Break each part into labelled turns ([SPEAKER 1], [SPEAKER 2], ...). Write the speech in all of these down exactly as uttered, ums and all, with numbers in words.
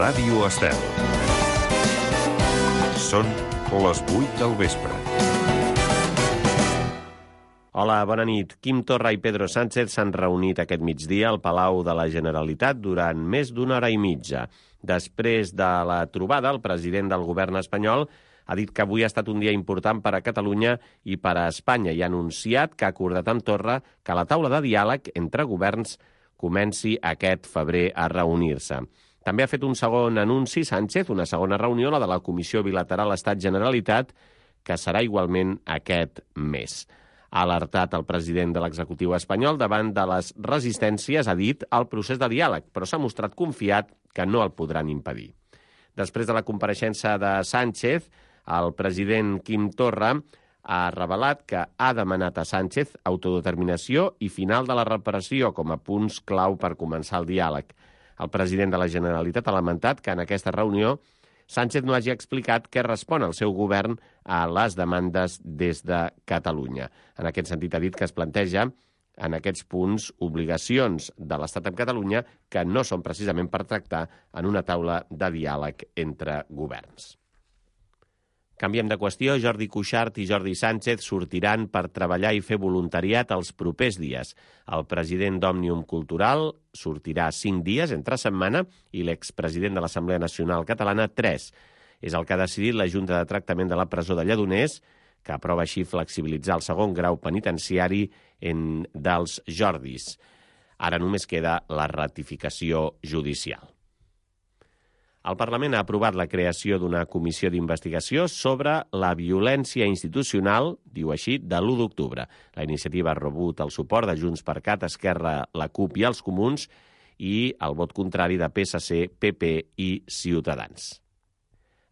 [SPEAKER 1] Ràdio Estel. Són les vuit del vespre.
[SPEAKER 2] Hola, bona nit. Quim Torra i Pedro Sánchez s'han reunit aquest migdia al Palau de la Generalitat durant més d'una hora i mitja. Després de la trobada, el president del govern espanyol ha dit que avui ha estat un dia important per a Catalunya i per a Espanya i ha anunciat que ha acordat amb Torra que la taula de diàleg entre governs comenci aquest febrer a reunir-se. També ha fet un segon anunci Sánchez, una segona reunió, la de la Comissió Bilateral Estat-Generalitat, que serà igualment aquest mes. Ha alertat el president de l'executiu espanyol davant de les resistències, ha dit, al procés de diàleg, però s'ha mostrat confiat que no el podran impedir. Després de la compareixença de Sánchez, el president Quim Torra ha revelat que ha demanat a Sánchez autodeterminació i final de la repressió com a punts clau per començar el diàleg. El president de la Generalitat ha lamentat que en aquesta reunió Sánchez no hagi explicat què respon el seu govern a les demandes des de Catalunya. En aquest sentit ha dit que es planteja en aquests punts obligacions de l'Estat amb Catalunya que no són precisament per tractar en una taula de diàleg entre governs. Canviem de qüestió. Jordi Cuixart i Jordi Sánchez sortiran per treballar i fer voluntariat els propers dies. El president d'Òmnium Cultural sortirà cinc dies entre setmana i l'expresident de l'Assemblea Nacional Catalana tres. És el que ha decidit la Junta de Tractament de la Presó de Lledoners, que aprova així flexibilitzar el segon grau penitenciari en dels Jordis. Ara només queda la ratificació judicial. El Parlament ha aprovat la creació d'una comissió d'investigació sobre la violència institucional, diu així, de l'u d'octubre. La iniciativa ha rebut el suport de Junts per Cat, Esquerra, la CUP i els Comuns i el vot contrari de P S C, P P i Ciutadans.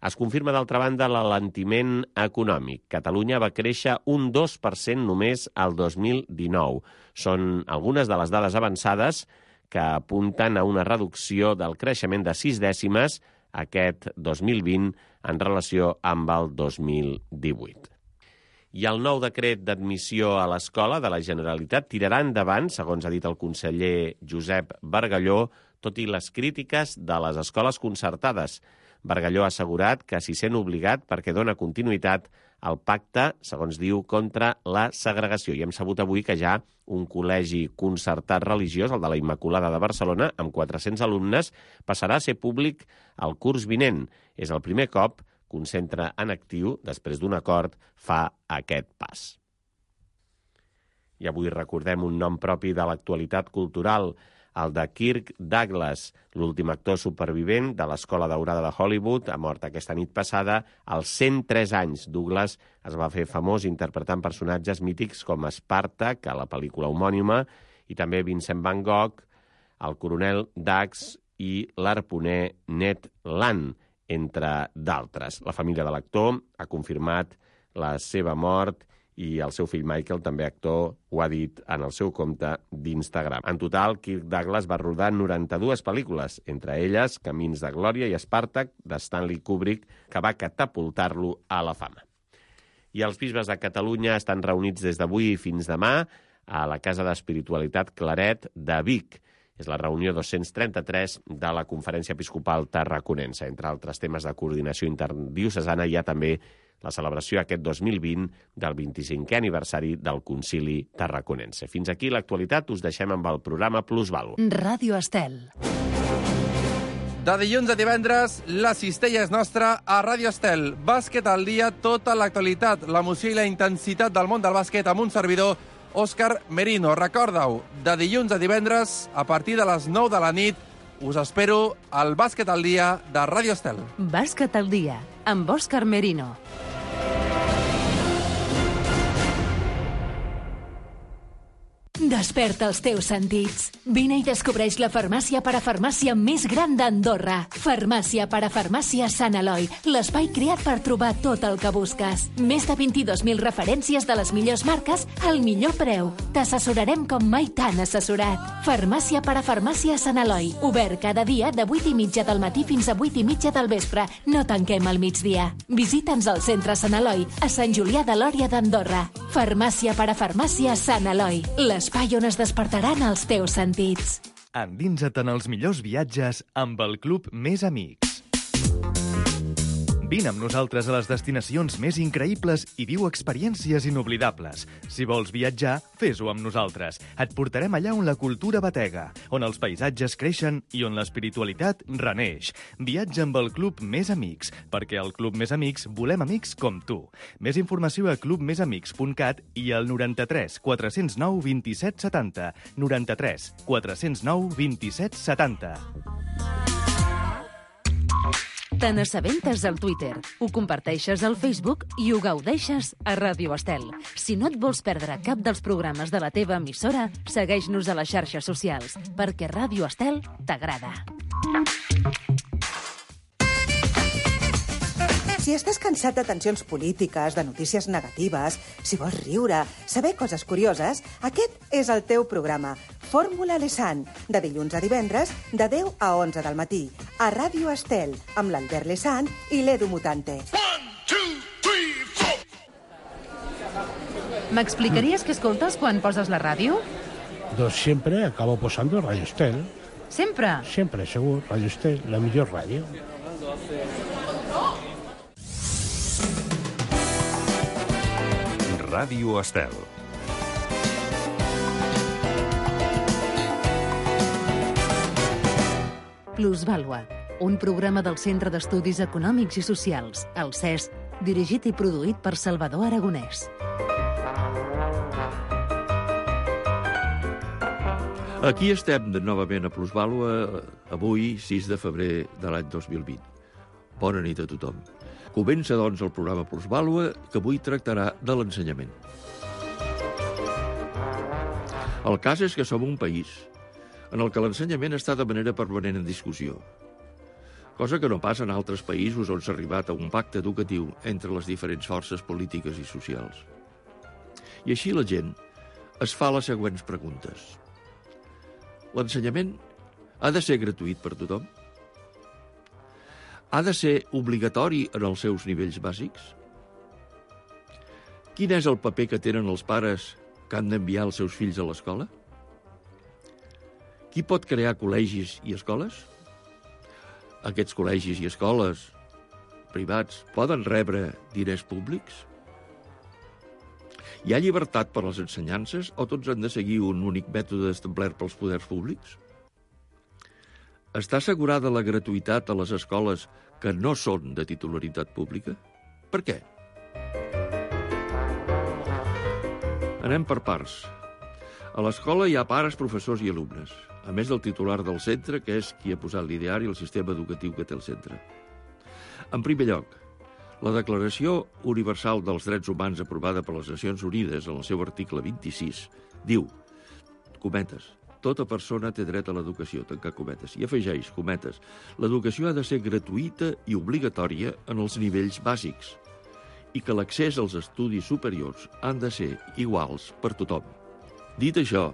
[SPEAKER 2] Es confirma, d'altra banda, l'alentiment econòmic. Catalunya va créixer un dos per cent només al dos mil dinou. Són algunes de les dades avançades que apunten a una reducció del creixement de sis dècimes aquest dos mil vint en relació amb el dos mil divuit. I el nou decret d'admissió a l'escola de la Generalitat tirarà endavant, segons ha dit el conseller Josep Bargalló, tot i les crítiques de les escoles concertades. Bargalló ha assegurat que s'hi sent obligat perquè dona continuïtat al pacte, segons diu, contra la segregació. I hem sabut avui que ja un col·legi concertat religiós, el de la Immaculada de Barcelona, amb quatre-cents alumnes, passarà a ser públic el curs vinent. És el primer cop que un centre en actiu, després d'un acord, fa aquest pas. I avui recordem un nom propi de l'actualitat cultural, el de Kirk Douglas, l'últim actor supervivent de l'Escola Daurada de Hollywood, ha mort aquesta nit passada als cent tres anys. Douglas es va fer famós interpretant personatges mítics com Spàrtac, a la pel·lícula homònima, i també Vincent Van Gogh, el coronel Dax i l'arponer Ned Land, entre d'altres. La família de l'actor ha confirmat la seva mort i el seu fill Michael, també actor, ho ha dit en el seu compte d'Instagram. En total, Kirk Douglas va rodar noranta-dues pel·lícules, entre elles Camins de Glòria i Spàrtac, de Stanley Kubrick, que va catapultar-lo a la fama. I els bisbes de Catalunya estan reunits des d'avui fins demà a la Casa d'Espiritualitat Claret de Vic. És la reunió dos-cents trenta-tres de la Conferència Episcopal Tarraconense. Entre altres temes de coordinació interdiocesana hi ha també la celebració aquest dos mil vint del vint-i-cinquè aniversari del Concili Tarraconense. Fins aquí l'actualitat, us deixem amb el programa Plusvàlua.
[SPEAKER 3] Ràdio Estel.
[SPEAKER 4] De dilluns a divendres, la cistella és nostra a Ràdio Estel. Bàsquet al dia, tota l'actualitat, l'emoció i la intensitat del món del bàsquet amb un servidor, Òscar Merino. Recorda-ho, de dilluns a divendres, a partir de les nou de la nit, us espero al Bàsquet al dia de Ràdio Estel.
[SPEAKER 3] Bàsquet al dia, amb Òscar Merino. Desperta els teus sentits. Vine i descobreix la farmàcia parafarmàcia més gran d'Andorra. Farmàcia parafarmàcia Sant Eloi, l'espai creat per trobar tot el que busques. Més de vint-i-dos mil referències de les millors marques al millor preu. T'assessorarem com mai t'han assessorat. Farmàcia parafarmàcia Sant Eloi, obert cada dia de vuit i mitja del matí fins a vuit i mitja del vespre. No tanquem al migdia. Visita'ns al centre Sant Eloi, a Sant Julià de Lòria d'Andorra. Farmàcia parafarmàcia Sant Eloi, l'espai on es despertaran els teus sentits.
[SPEAKER 5] Endinsa't en els millors viatges amb el Club Més Amics. Vine amb nosaltres a les destinacions més increïbles i viu experiències inoblidables. Si vols viatjar, fes-ho amb nosaltres. Et portarem allà on la cultura batega, on els paisatges creixen i on l'espiritualitat reneix. Viatja amb el Club Més Amics, perquè al Club Més Amics volem amics com tu. Més informació a club més amics punt cat i al noranta-tres quatre zero nou vint-i-set setanta. noranta-tres quatre zero nou vint-i-set setanta.
[SPEAKER 6] Te n'assabentes al Twitter, ho comparteixes al Facebook i ho gaudeixes a Ràdio Estel. Si no et vols perdre cap dels programes de la teva emissora, segueix-nos a les xarxes socials, perquè Ràdio Estel t'agrada.
[SPEAKER 7] Si estàs cansat de tensions polítiques, de notícies negatives, si vols riure, saber coses curioses, aquest és el teu programa. Fórmula Lesan, de dilluns a divendres, de deu a onze del matí, a Ràdio Estel, amb l'Albert Lesan i l'Edu Mutante.
[SPEAKER 6] M'explicaries què escoltes quan poses la ràdio?
[SPEAKER 8] Doncs siempre acabo posando Radio Estel.
[SPEAKER 6] Sempre?
[SPEAKER 8] Siempre, segur. Radio Estel, la millor ràdio.
[SPEAKER 1] Ràdio Estel.
[SPEAKER 6] Plusvàlua, un programa del Centre d'Estudis Econòmics i Socials, el C E S, dirigit i produït per Salvador Aragonès.
[SPEAKER 9] Aquí estem de novament a Plusvàlua, avui, sis de febrer de l'any dos mil vint. Bona nit a tothom. Comença, doncs, el programa Plusvàlua, que avui tractarà de l'ensenyament. El cas és que som un país en el que l'ensenyament està de manera permanent en discussió, cosa que no passa en altres països on s'ha arribat a un pacte educatiu entre les diferents forces polítiques i socials. I així la gent es fa les següents preguntes. L'ensenyament ha de ser gratuït per tothom? Ha de ser obligatori en els seus nivells bàsics? Quin és el paper que tenen els pares que han d'enviar els seus fills a l'escola? Qui pot crear col·legis i escoles? Aquests col·legis i escoles privats poden rebre diners públics? Hi ha llibertat per a les ensenyances o tots han de seguir un únic mètode establert pels poders públics? Està assegurada la gratuïtat a les escoles que no són de titularitat pública? Per què? Anem per parts. A l'escola hi ha pares, professors i alumnes, a més del titular del centre, que és qui ha posat l'ideari i el sistema educatiu que té el centre. En primer lloc, la Declaració Universal dels Drets Humans aprovada per les Nacions Unides en el seu article vint-i-sis diu, cometes, tota persona té dret a l'educació, tancar cometes, i afegeix, cometes, l'educació ha de ser gratuïta i obligatòria en els nivells bàsics i que l'accés als estudis superiors han de ser iguals per tothom. Dit això,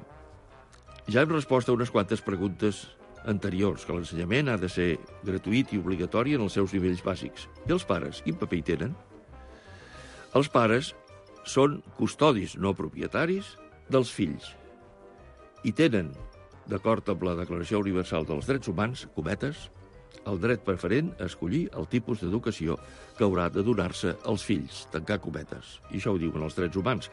[SPEAKER 9] ja hem respost a unes quantes preguntes anteriors, que l'ensenyament ha de ser gratuït i obligatori en els seus nivells bàsics. I els pares, quin paper hi tenen? Els pares són custodis no propietaris dels fills i tenen, d'acord amb la Declaració Universal dels Drets Humans, cometes, el dret preferent a escollir el tipus d'educació que haurà de donar-se als fills, tancar cometes. I això ho diuen els drets humans.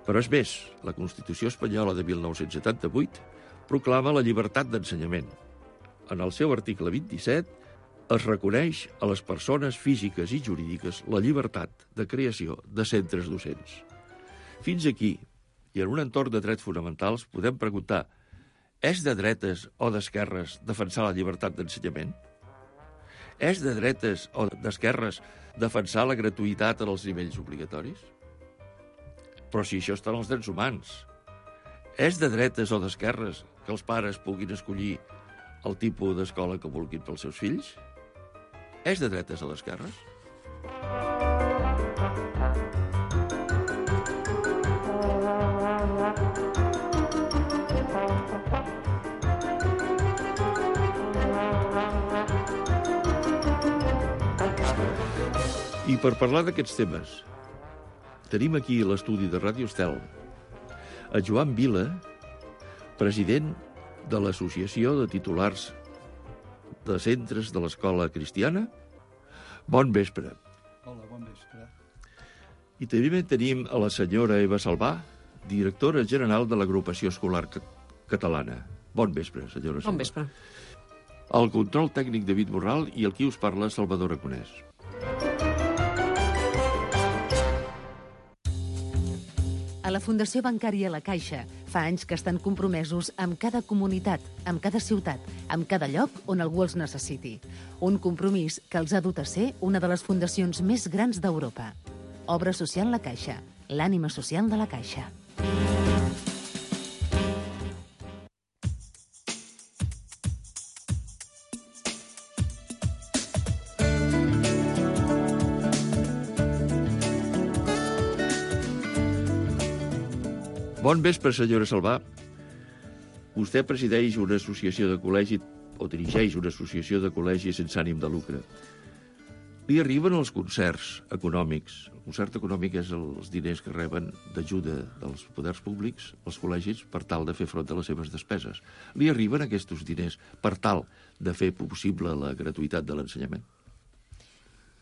[SPEAKER 9] Però és més, la Constitució espanyola de mil nou-cents setanta-vuit proclama la llibertat d'ensenyament. En el seu article vint-i-set es reconeix a les persones físiques i jurídiques la llibertat de creació de centres docents. Fins aquí, i en un entorn de drets fonamentals, podem preguntar: és de dretes o d'esquerres defensar la llibertat d'ensenyament? És de dretes o d'esquerres defensar la gratuïtat en els nivells obligatoris? Però si això està en els drets humans. És de dretes o d'esquerres que els pares puguin escollir el tipus d'escola que vulguin pels seus fills? És de dretes o d'esquerres? I per parlar d'aquests temes, tenim aquí a l'estudi de Ràdio Estel a Joan Vila, president de l'Associació de Titulars de Centres de l'Escola Cristiana. Bon vespre.
[SPEAKER 10] Hola, bon vespre.
[SPEAKER 9] I també tenim a la senyora Eva Salvà, directora general de l'Agrupació Escolar Catalana. Bon vespre, senyora Salvà.
[SPEAKER 11] Bon vespre.
[SPEAKER 9] El control tècnic David Borral i el qui us parla, Salvador Aragonès.
[SPEAKER 6] A la Fundació Bancària La Caixa fa anys que estan compromesos amb cada comunitat, amb cada ciutat, amb cada lloc on algú els necessiti. Un compromís que els ha dut a ser una de les fundacions més grans d'Europa. Obra Social La Caixa, l'ànima social de la Caixa.
[SPEAKER 9] Bon vespre, senyora Salvà. Vostè presideix una associació de col·legi o dirigeix una associació de col·legis sense ànim de lucre. Li arriben els concerts econòmics. El concert econòmic és els diners que reben d'ajuda dels poders públics, els col·legis, per tal de fer front a les seves despeses. Li arriben aquests diners per tal de fer possible la gratuïtat de l'ensenyament?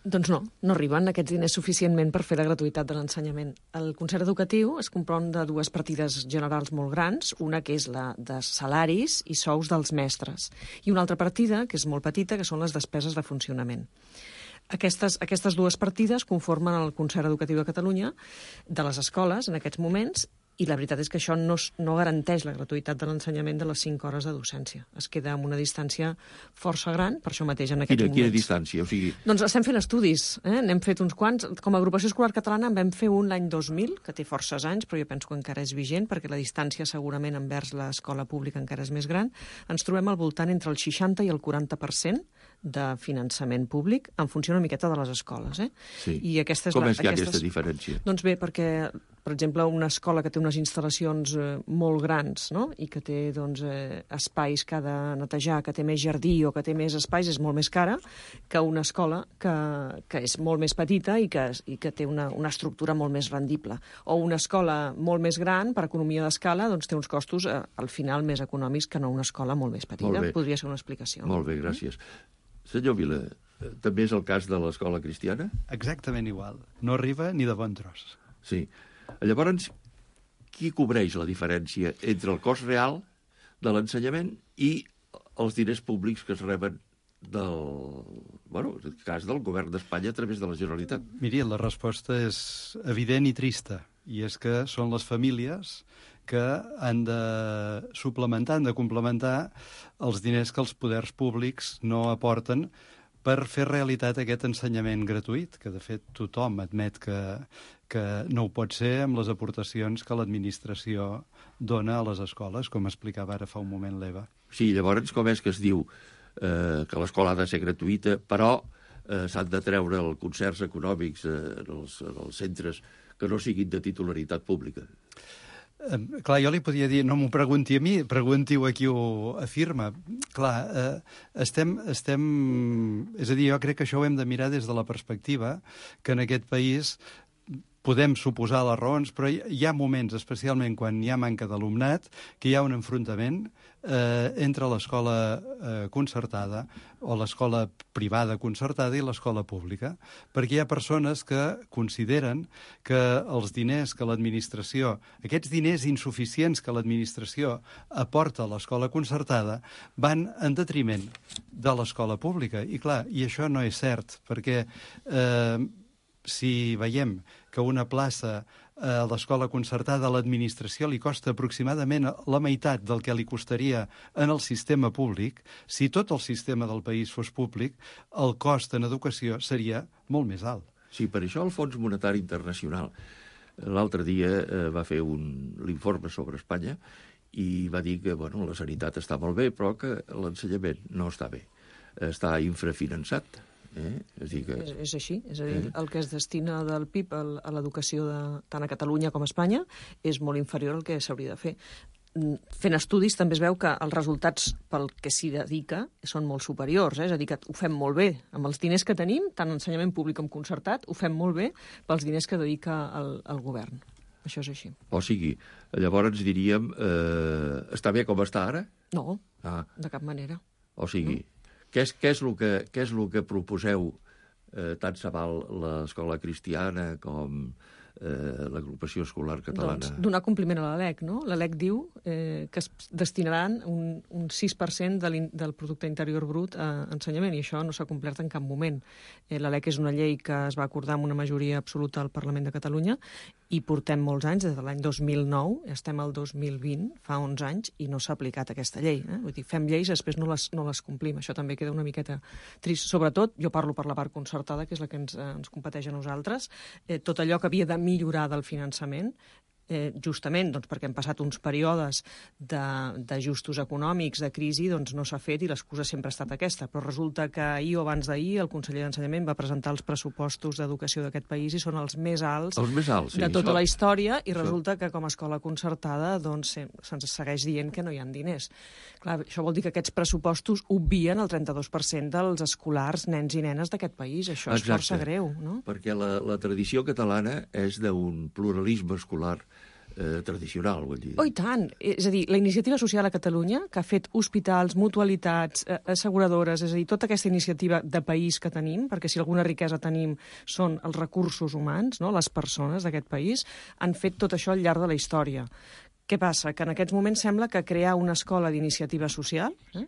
[SPEAKER 11] Doncs no, no arriben aquests diners suficientment per fer la gratuïtat de l'ensenyament. El concert educatiu es compon de dues partides generals molt grans, una que és la de salaris i sous dels mestres, i una altra partida, que és molt petita, que són les despeses de funcionament. Aquestes, aquestes dues partides conformen el concert educatiu de Catalunya de les escoles en aquests moments, i la veritat és que això no, no garanteix la gratuïtat de l'ensenyament de les cinc hores de docència. Es queda amb una distància força gran, per això mateix en aquests
[SPEAKER 9] quina,
[SPEAKER 11] moments.
[SPEAKER 9] Quina distància? O sigui...
[SPEAKER 11] Doncs estem fent estudis, eh? N'hem fet uns quants. Com a agrupació escolar catalana en vam fer un l'any dos mil, que té forces anys, però jo penso que encara és vigent, perquè la distància segurament envers l'escola pública encara és més gran. Ens trobem al voltant entre el seixanta i el quaranta per cent de finançament públic en funció una miqueta de les escoles. Eh?
[SPEAKER 9] Sí.
[SPEAKER 11] I aquesta és
[SPEAKER 9] Com
[SPEAKER 11] la,
[SPEAKER 9] és que hi ha
[SPEAKER 11] aquestes...
[SPEAKER 9] aquesta diferència?
[SPEAKER 11] Doncs bé, perquè, per exemple, una escola que té unes instal·lacions eh, molt grans, no? I que té doncs, eh, espais que ha de netejar, que té més jardí o que té més espais, és molt més cara que una escola que, que és molt més petita i que, i que té una, una estructura molt més rendible. O una escola molt més gran, per economia d'escala, doncs té uns costos eh, al final més econòmics que no una escola molt més petita.
[SPEAKER 9] Molt bé.
[SPEAKER 11] Podria ser una explicació.
[SPEAKER 9] Molt bé, gràcies. Senyor Vila, també és el cas de l'escola cristiana?
[SPEAKER 10] Exactament igual. No arriba ni de bon tros.
[SPEAKER 9] Sí. Llavors, qui cobreix la diferència entre el cost real de l'ensenyament i els diners públics que es reben del, bueno, en el cas del govern d'Espanya a través de la Generalitat?
[SPEAKER 10] Miri, la resposta és evident i trista, i és que són les famílies que han de suplementar, han de complementar els diners que els poders públics no aporten per fer realitat aquest ensenyament gratuït, que de fet tothom admet que, que no ho pot ser amb les aportacions que l'administració dona a les escoles, com explicava ara fa un moment l'Eva.
[SPEAKER 9] Sí, llavors com és que es diu eh, que l'escola ha de ser gratuïta, però eh, s'han de treure els concerts econòmics eh, en, els, en els centres que no siguin de titularitat pública?
[SPEAKER 10] Eh, clar, jo li podia dir, no m'ho pregunti a mi, pregunti-ho a qui ho afirma. Clar, eh, estem, estem... És a dir, jo crec que això ho hem de mirar des de la perspectiva que en aquest país podem suposar les raons, però hi ha moments, especialment quan hi ha manca d'alumnat, que hi ha un enfrontament eh, entre l'escola eh, concertada o l'escola privada concertada i l'escola pública, perquè hi ha persones que consideren que els diners que l'administració, aquests diners insuficients que l'administració aporta a l'escola concertada, van en detriment de l'escola pública. I clar, i això no és cert, perquè eh, si veiem que una plaça a l'escola concertada a l'administració li costa aproximadament la meitat del que li costaria en el sistema públic, si tot el sistema del país fos públic, el cost en educació seria molt més alt.
[SPEAKER 9] Sí, per això el Fons Monetari Internacional l'altre dia eh, va fer un l'informe sobre Espanya i va dir que bueno, la sanitat està molt bé, però que l'ensenyament no està bé. Està infrafinançat. Eh? És, dir que...
[SPEAKER 11] és, és així, és a dir,
[SPEAKER 9] eh?
[SPEAKER 11] el que es destina del P I B a l'educació de, tant a Catalunya com a Espanya és molt inferior al que s'hauria de fer. Fent estudis també es veu que els resultats pel que s'hi dedica són molt superiors, eh? És a dir, que ho fem molt bé amb els diners que tenim, tant ensenyament públic com concertat, ho fem molt bé pels diners que dedica el, el govern. Això és així.
[SPEAKER 9] O sigui, llavors diríem, eh, està bé com està ara?
[SPEAKER 11] No,
[SPEAKER 9] ah.
[SPEAKER 11] de cap manera.
[SPEAKER 9] O sigui, no? què, és, què, és el que, què és el que proposeu? Eh, tant se val l'escola cristiana com eh, l'agrupació escolar catalana?
[SPEAKER 11] Doncs donar compliment a la LEC, no? La LEC diu eh, que es destinaran un, un sis per cent de del producte interior brut a ensenyament, i això no s'ha complert en cap moment. Eh, la LEC és una llei que es va acordar amb una majoria absoluta al Parlament de Catalunya i portem molts anys, des de l'any dos mil nou, estem al dos mil vint, fa onze anys, i no s'ha aplicat aquesta llei. Eh? Vull dir, fem lleis i després no les, no les complim. Això també queda una miqueta trist. Sobretot, jo parlo per la part concertada, que és la que ens, eh, ens competeix a nosaltres, eh, tot allò que havia de millorar del finançament, eh, justament doncs, perquè hem passat uns períodes d'ajustos econòmics, de crisi, doncs no s'ha fet i l'excusa sempre ha estat aquesta. Però resulta que ahir o abans d'ahir el conseller d'Ensenyament va presentar els pressupostos d'educació d'aquest país i són els més alts,
[SPEAKER 9] els més alts sí,
[SPEAKER 11] de tota
[SPEAKER 9] això,
[SPEAKER 11] la història, i
[SPEAKER 9] això.
[SPEAKER 11] resulta que com a escola concertada doncs, se'ns segueix dient que no hi ha diners. Clar, això vol dir que aquests pressupostos obvien el trenta-dos per cent dels escolars, nens i nenes d'aquest país. Això és
[SPEAKER 9] Exacte.
[SPEAKER 11] força greu, no?
[SPEAKER 9] Perquè la, la tradició catalana és d'un pluralisme escolar Eh, tradicional, vull dir.
[SPEAKER 11] Oh, i tant! És a dir, la iniciativa social a Catalunya, que ha fet hospitals, mutualitats, eh, asseguradores, és a dir, tota aquesta iniciativa de país que tenim, perquè si alguna riquesa tenim són els recursos humans, no? Les persones d'aquest país, han fet tot això al llarg de la història. Què passa? Que en aquests moments sembla que crear una escola d'iniciativa social... Eh?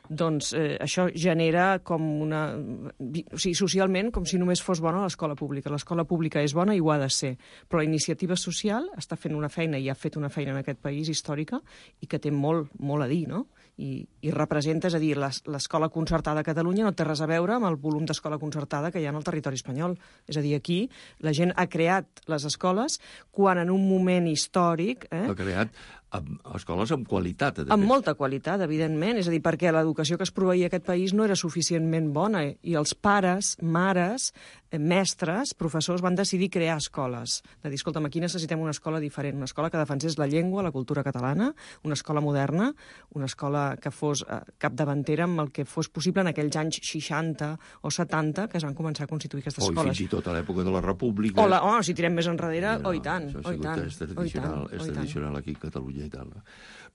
[SPEAKER 11] doncs eh, això genera com una... O sigui, socialment, com si només fos bona l'escola pública. L'escola pública és bona i ho ha de ser, però la iniciativa social està fent una feina, i ha fet una feina en aquest país històrica, i que té molt, molt a dir, no? I, i representa, és a dir, l'escola concertada a Catalunya no té res a veure amb el volum d'escola concertada que hi ha en el territori espanyol. És a dir, aquí la gent ha creat les escoles quan en un moment històric... Eh,
[SPEAKER 9] ha creat amb escoles amb qualitat.
[SPEAKER 11] Amb molta qualitat, evidentment. És a dir, perquè l'educació que es proveïa a aquest país no era suficientment bona, i els pares, mares, mestres, professors van decidir crear escoles. De dir, escolta'm, aquí necessitem una escola diferent, una escola que defensés la llengua, la cultura catalana, una escola moderna, una escola que fos eh, capdavantera amb el que fos possible en aquells anys seixanta o setanta que es van començar a constituir aquestes
[SPEAKER 9] o
[SPEAKER 11] escoles.
[SPEAKER 9] O fins i tot a l'època de la República.
[SPEAKER 11] O, la, oh, si tirem més enrere, no, oh, i tant.
[SPEAKER 9] Això
[SPEAKER 11] oh, i tant,
[SPEAKER 9] és tradicional,
[SPEAKER 11] oh, i tant,
[SPEAKER 9] és
[SPEAKER 11] oh,
[SPEAKER 9] tradicional aquí a Catalunya i tal.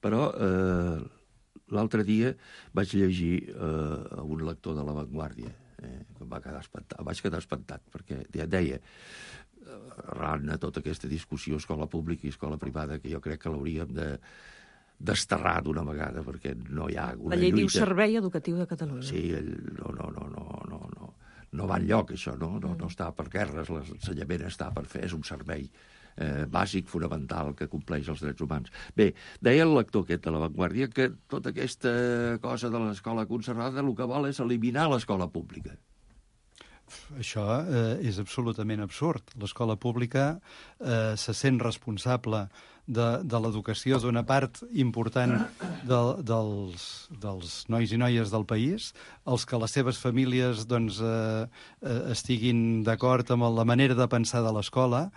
[SPEAKER 9] Però eh, l'altre dia vaig llegir eh, un lector de La Vanguardia, eh, que em va quedar espantat, vaig quedar espantat, perquè ja deia, arran a tota aquesta discussió escola pública i escola privada, que jo crec que l'hauríem de desterrar d'una vegada, perquè no hi ha una lluita...
[SPEAKER 11] La llei lluita... diu Servei Educatiu de Catalunya.
[SPEAKER 9] Sí, el, no, no, no, no, no, no, no va enlloc, això, no, no, no està per guerres, l'ensenyament està per fer, és un servei eh, bàsic, fonamental, que compleix els drets humans. Bé, deia el lector aquest de La Vanguardia que tota aquesta cosa de l'escola concertada el que vol és eliminar l'escola pública.
[SPEAKER 10] Això eh, és absolutament absurd. L'escola pública eh, se sent responsable de, de l'educació d'una part important de, dels, dels nois i noies del país, els que les seves famílies doncs, eh, eh, estiguin d'acord amb la manera de pensar de l'escola,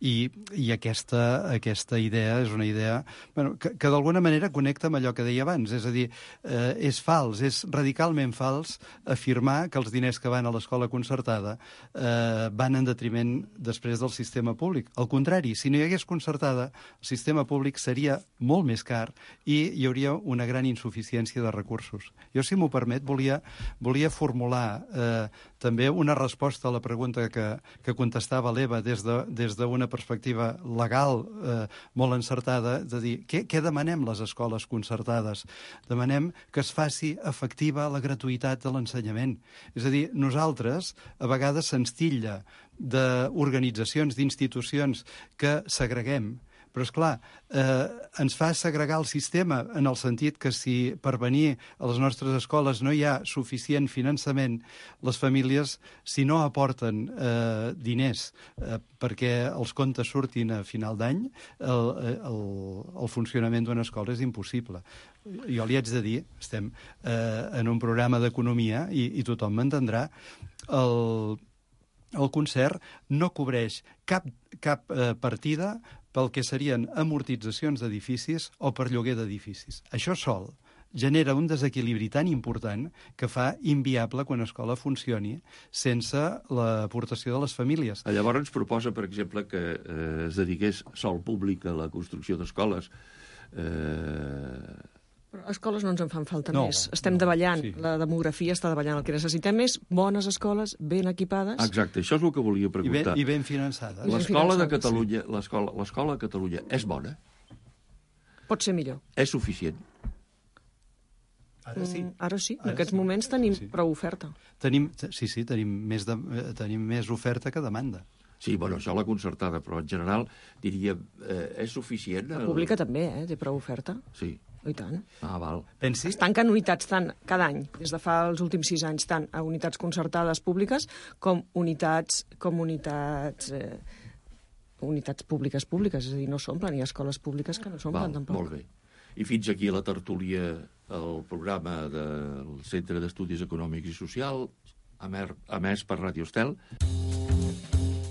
[SPEAKER 10] i, i aquesta, aquesta idea és una idea bueno, que, que d'alguna manera connecta amb allò que deia abans. És a dir, eh, és fals, és radicalment fals afirmar que els diners que van a l'escola concertada eh, van en detriment després del sistema públic. Al contrari, si no hi hagués concertada, el sistema públic seria molt més car i hi hauria una gran insuficiència de recursos. Jo, si m'ho permet, volia, volia formular eh, també una resposta a la pregunta que, que contestava l'Eva des de, des d'una perspectiva legal eh, molt encertada, de dir, què, què demanem les escoles concertades? Demanem que es faci efectiva la gratuïtat de l'ensenyament. És a dir, nosaltres, a vegades se'ns titlla d'organitzacions, d'institucions que segreguem, però, esclar, eh, ens fa segregar el sistema en el sentit que si per venir a les nostres escoles no hi ha suficient finançament, les famílies, si no aporten eh, diners eh, perquè els comptes surtin a final d'any, el, el, el funcionament d'una escola és impossible. Jo li haig de dir, estem eh, en un programa d'economia i, i tothom m'entendrà, el, el concert no cobreix cap, cap eh, partida pel que serien amortitzacions d'edificis o per lloguer d'edificis. Això sol genera un desequilibri tan important que fa inviable que una escola funcioni sense l'aportació de les famílies.
[SPEAKER 9] Llavors ens proposa, per exemple, que eh, es dediqués sol públic a la construcció d'escoles. Eh,
[SPEAKER 11] Però escoles no ens en fan falta
[SPEAKER 10] No,
[SPEAKER 11] més. Estem
[SPEAKER 10] no,
[SPEAKER 11] davallant,
[SPEAKER 10] sí.
[SPEAKER 11] la demografia està davallant. El que necessitem és bones escoles, ben equipades.
[SPEAKER 9] Exacte, això és el que volia
[SPEAKER 10] I ben,
[SPEAKER 9] preguntar.
[SPEAKER 10] i ben finançades.
[SPEAKER 9] L'escola de
[SPEAKER 11] finançades,
[SPEAKER 9] Catalunya, l'escola, l'escola de Catalunya és bona?
[SPEAKER 11] Pot ser millor.
[SPEAKER 9] És suficient?
[SPEAKER 10] Ara sí.
[SPEAKER 11] Mm, Ara sí, en
[SPEAKER 10] Ara
[SPEAKER 11] aquests
[SPEAKER 10] sí.
[SPEAKER 11] moments tenim
[SPEAKER 10] Sí.
[SPEAKER 11] prou oferta.
[SPEAKER 10] Tenim, sí, sí, tenim més, de, eh, tenim més oferta que demanda.
[SPEAKER 9] Sí, bueno, això la concertada, però en general diria, eh, és suficient?
[SPEAKER 11] La pública també, eh? Té prou oferta.
[SPEAKER 9] Sí.
[SPEAKER 11] I tant.
[SPEAKER 9] Ah, val.
[SPEAKER 10] Pensi...
[SPEAKER 11] Es tanquen unitats tant cada any, des de fa els últims sis anys, tant a unitats concertades públiques com unitats, com unitats, eh, unitats públiques públiques, és a dir, no s'omplen, hi ha escoles públiques que no s'omplen
[SPEAKER 9] Val,
[SPEAKER 11] tampoc.
[SPEAKER 9] molt bé. I fins aquí la tertúlia, el programa del Centre d'Estudis Econòmics i Socials, emès per Ràdio Estel.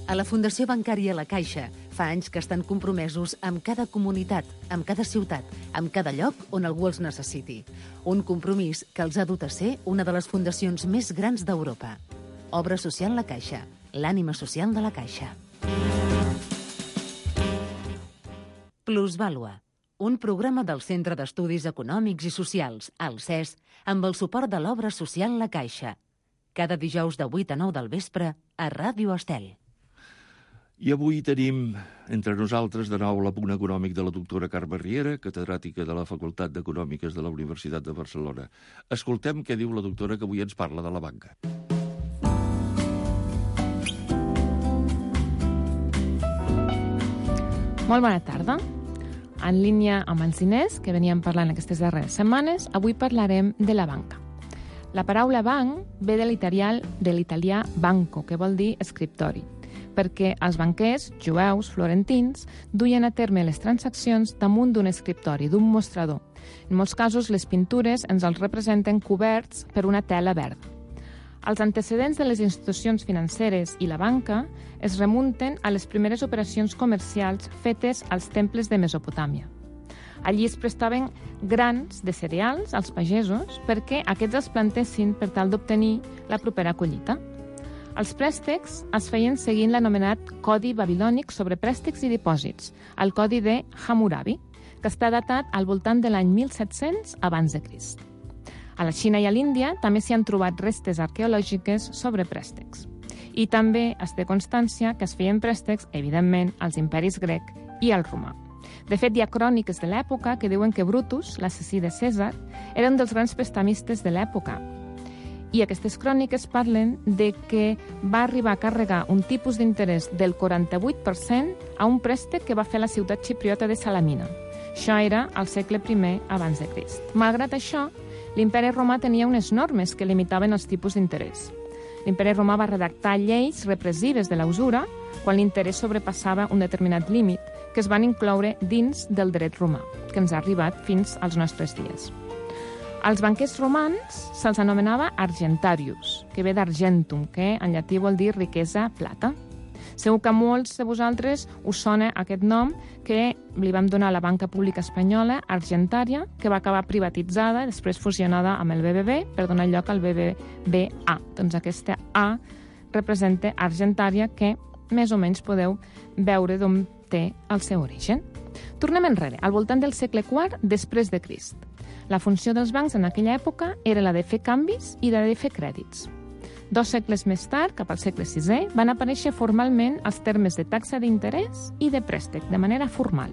[SPEAKER 6] A la Fundació Bancària La Caixa fa anys que estan compromesos amb cada comunitat, amb cada ciutat, amb cada lloc on algú els necessiti. Un compromís que els ha dut a ser una de les fundacions més grans d'Europa. Obra Social La Caixa, l'ànima social de la Caixa. Plusvàlua, un programa del Centre d'Estudis Econòmics i Socials, el C E S, amb el suport de l'Obra Social La Caixa. Cada dijous de vuit a nou del vespre a Ràdio Estel.
[SPEAKER 9] I avui tenim entre nosaltres de nou l'apunt econòmic de la doctora Carme Riera, catedràtica de la Facultat d'Econòmiques de la Universitat de Barcelona. Escoltem què diu la doctora, que avui ens parla de la banca.
[SPEAKER 12] Molt bona tarda. En línia amb els diners, que veníem parlant aquestes darreres setmanes, avui parlarem de la banca. La paraula banc ve de l'italià de l'italià banco, que vol dir escriptori, perquè els banquers, jueus, florentins, duien a terme les transaccions damunt d'un escriptori, d'un mostrador. En molts casos, les pintures ens els representen coberts per una tela verda. Els antecedents de les institucions financeres i la banca es remunten a les primeres operacions comercials fetes als temples de Mesopotàmia. Allí es prestaven grans de cereals als pagesos perquè aquests els plantessin per tal d'obtenir la propera collita. Els préstecs es feien seguint l'anomenat Codi Babilònic sobre préstecs i dipòsits, el Codi de Hammurabi, que està datat al voltant de l'any mil set-cents abans de Crist. A la Xina i a l'Índia també s'hi han trobat restes arqueològiques sobre préstecs. I també es té constància que es feien préstecs, evidentment, als imperis grec i al romà. De fet, hi ha cròniques de l'època que diuen que Brutus, l'assassí de Cèsar, era un dels grans prestamistes de l'època. I aquestes cròniques parlen de que va arribar a carregar un tipus d'interès del quaranta-vuit per cent a un préstec que va fer la ciutat xipriota de Salamina. Això era al segle primer abans de Crist. Malgrat això, l'imperi romà tenia unes normes que limitaven els tipus d'interès. L'imperi romà va redactar lleis repressives de la usura quan l'interès sobrepassava un determinat límit, que es van incloure dins del dret romà, que ens ha arribat fins als nostres dies. Als banquers romans se'ls anomenava argentarius, que ve d'argentum, que en llatí vol dir riquesa, plata. Segur que a molts de vosaltres us sona aquest nom que li vam donar a la banca pública espanyola, Argentària, que va acabar privatitzada i després fusionada amb el B B B per donar lloc al B B V A. Doncs aquesta A representa Argentària, que més o menys podeu veure d'on té el seu origen. Tornem enrere, al voltant del segle quart després de Crist. La funció dels bancs en aquella època era la de fer canvis i la de fer crèdits. Dos segles més tard, cap al segle sisè, van aparèixer formalment els termes de taxa d'interès i de préstec, de manera formal.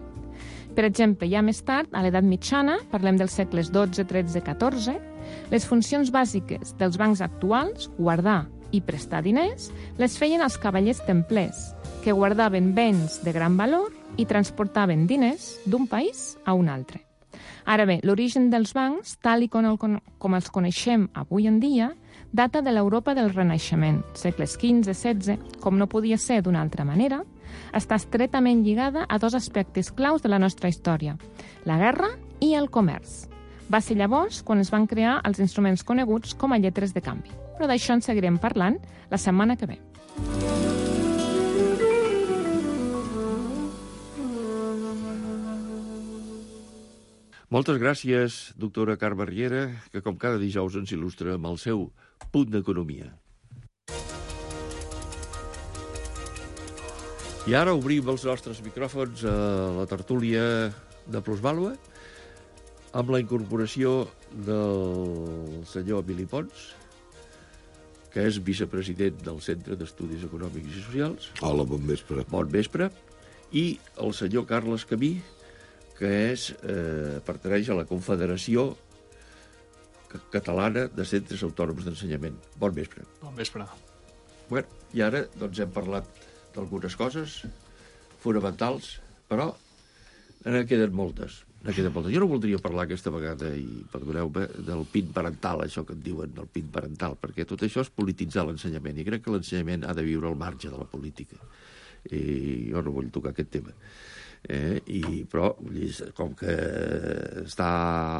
[SPEAKER 12] Per exemple, ja més tard, a l'edat mitjana, parlem dels segles dotze, tretze, catorze, les funcions bàsiques dels bancs actuals, guardar i prestar diners, les feien els cavallers templers, que guardaven béns de gran valor i transportaven diners d'un país a un altre. Ara bé, l'origen dels bancs, tal i com, el, com els coneixem avui en dia, data de l'Europa del Renaixement, segles quinze setze, com no podia ser d'una altra manera, està estretament lligada a dos aspectes claus de la nostra història, la guerra i el comerç. Va ser llavors quan es van crear els instruments coneguts com a lletres de canvi. Però d'això en seguirem parlant la setmana que ve.
[SPEAKER 9] Moltes gràcies, doctora Carme Riera, que com cada dijous ens il·lustra amb el seu punt d'economia. I ara obrim els nostres micròfons a la tertúlia de Plusvàlua. amb la incorporació del senyor Emili Pons, que és vicepresident del Centre d'Estudis Econòmics i Socials.
[SPEAKER 13] Hola, bon vespre.
[SPEAKER 9] Bon vespre. I el senyor Carles Camí, que és, eh, pertaneix a la Confederació Catalana de Centres Autònoms d'Ensenyament. Bon vespre.
[SPEAKER 14] Bon vespre.
[SPEAKER 9] Bueno, i ara doncs, hem parlat d'algunes coses fonamentals, però ne queden moltes. Ne queden moltes. Jo no voldria parlar aquesta vegada, i perdoneu-me, del pin parental, això que en diuen, del pin parental, perquè tot això és polititzar l'ensenyament, i crec que l'ensenyament ha de viure al marge de la política. I jo no vull tocar aquest tema. Eh, i, però, com que està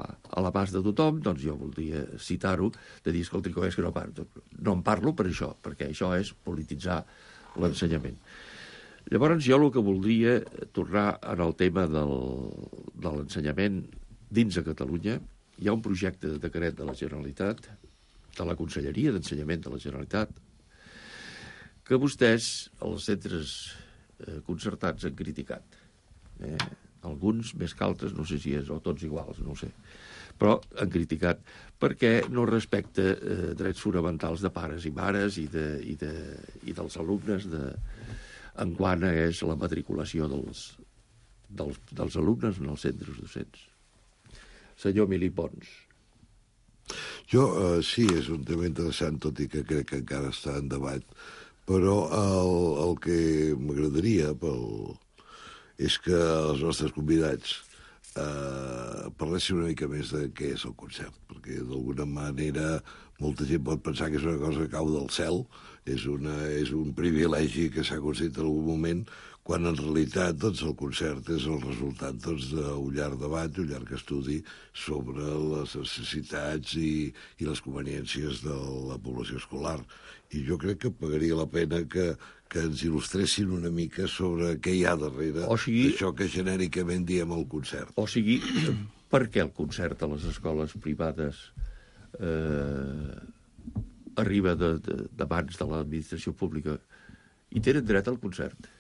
[SPEAKER 9] a l'abast de tothom, doncs jo voldria citar-ho, de dir, escolta, com és que no parlo? No en parlo per això, perquè això és polititzar l'ensenyament. Llavors, jo el que voldria tornar en el tema del, de l'ensenyament dins de Catalunya. Hi ha un projecte de decret de la Generalitat, de la Conselleria d'Ensenyament de la Generalitat, que vostès, els centres eh, concertats, han criticat. Eh, alguns més que altres, no sé si és, o tots iguals, no ho sé, però han criticat perquè no respecta eh, drets fonamentals de pares i mares i, de, i, de, i dels alumnes de, en quant és la matriculació dels, dels, dels alumnes en els centres docents. Senyor Emili Pons.
[SPEAKER 13] Jo, eh, sí, és un tema interessant, tot i que crec que encara està en debat, però el, el que m'agradaria pel, és que els nostres convidats eh, parlessin una mica més de què és el concert, perquè d'alguna manera molta gent pot pensar que és una cosa que cau del cel, és, una, és un privilegi que s'ha aconseguit en algun moment, quan en realitat doncs, el concert és el resultat doncs, d'un llarg debat, un llarg estudi sobre les necessitats i, i les conveniències de la població escolar. I jo crec que pagaria la pena que, que ens il·lustressin una mica sobre què hi ha darrere sigui, d'això que genèricament diem el concert.
[SPEAKER 9] O sigui, per què el concert a les escoles privades eh, arriba de, de, d'abans de l'administració pública i tenen dret al concert?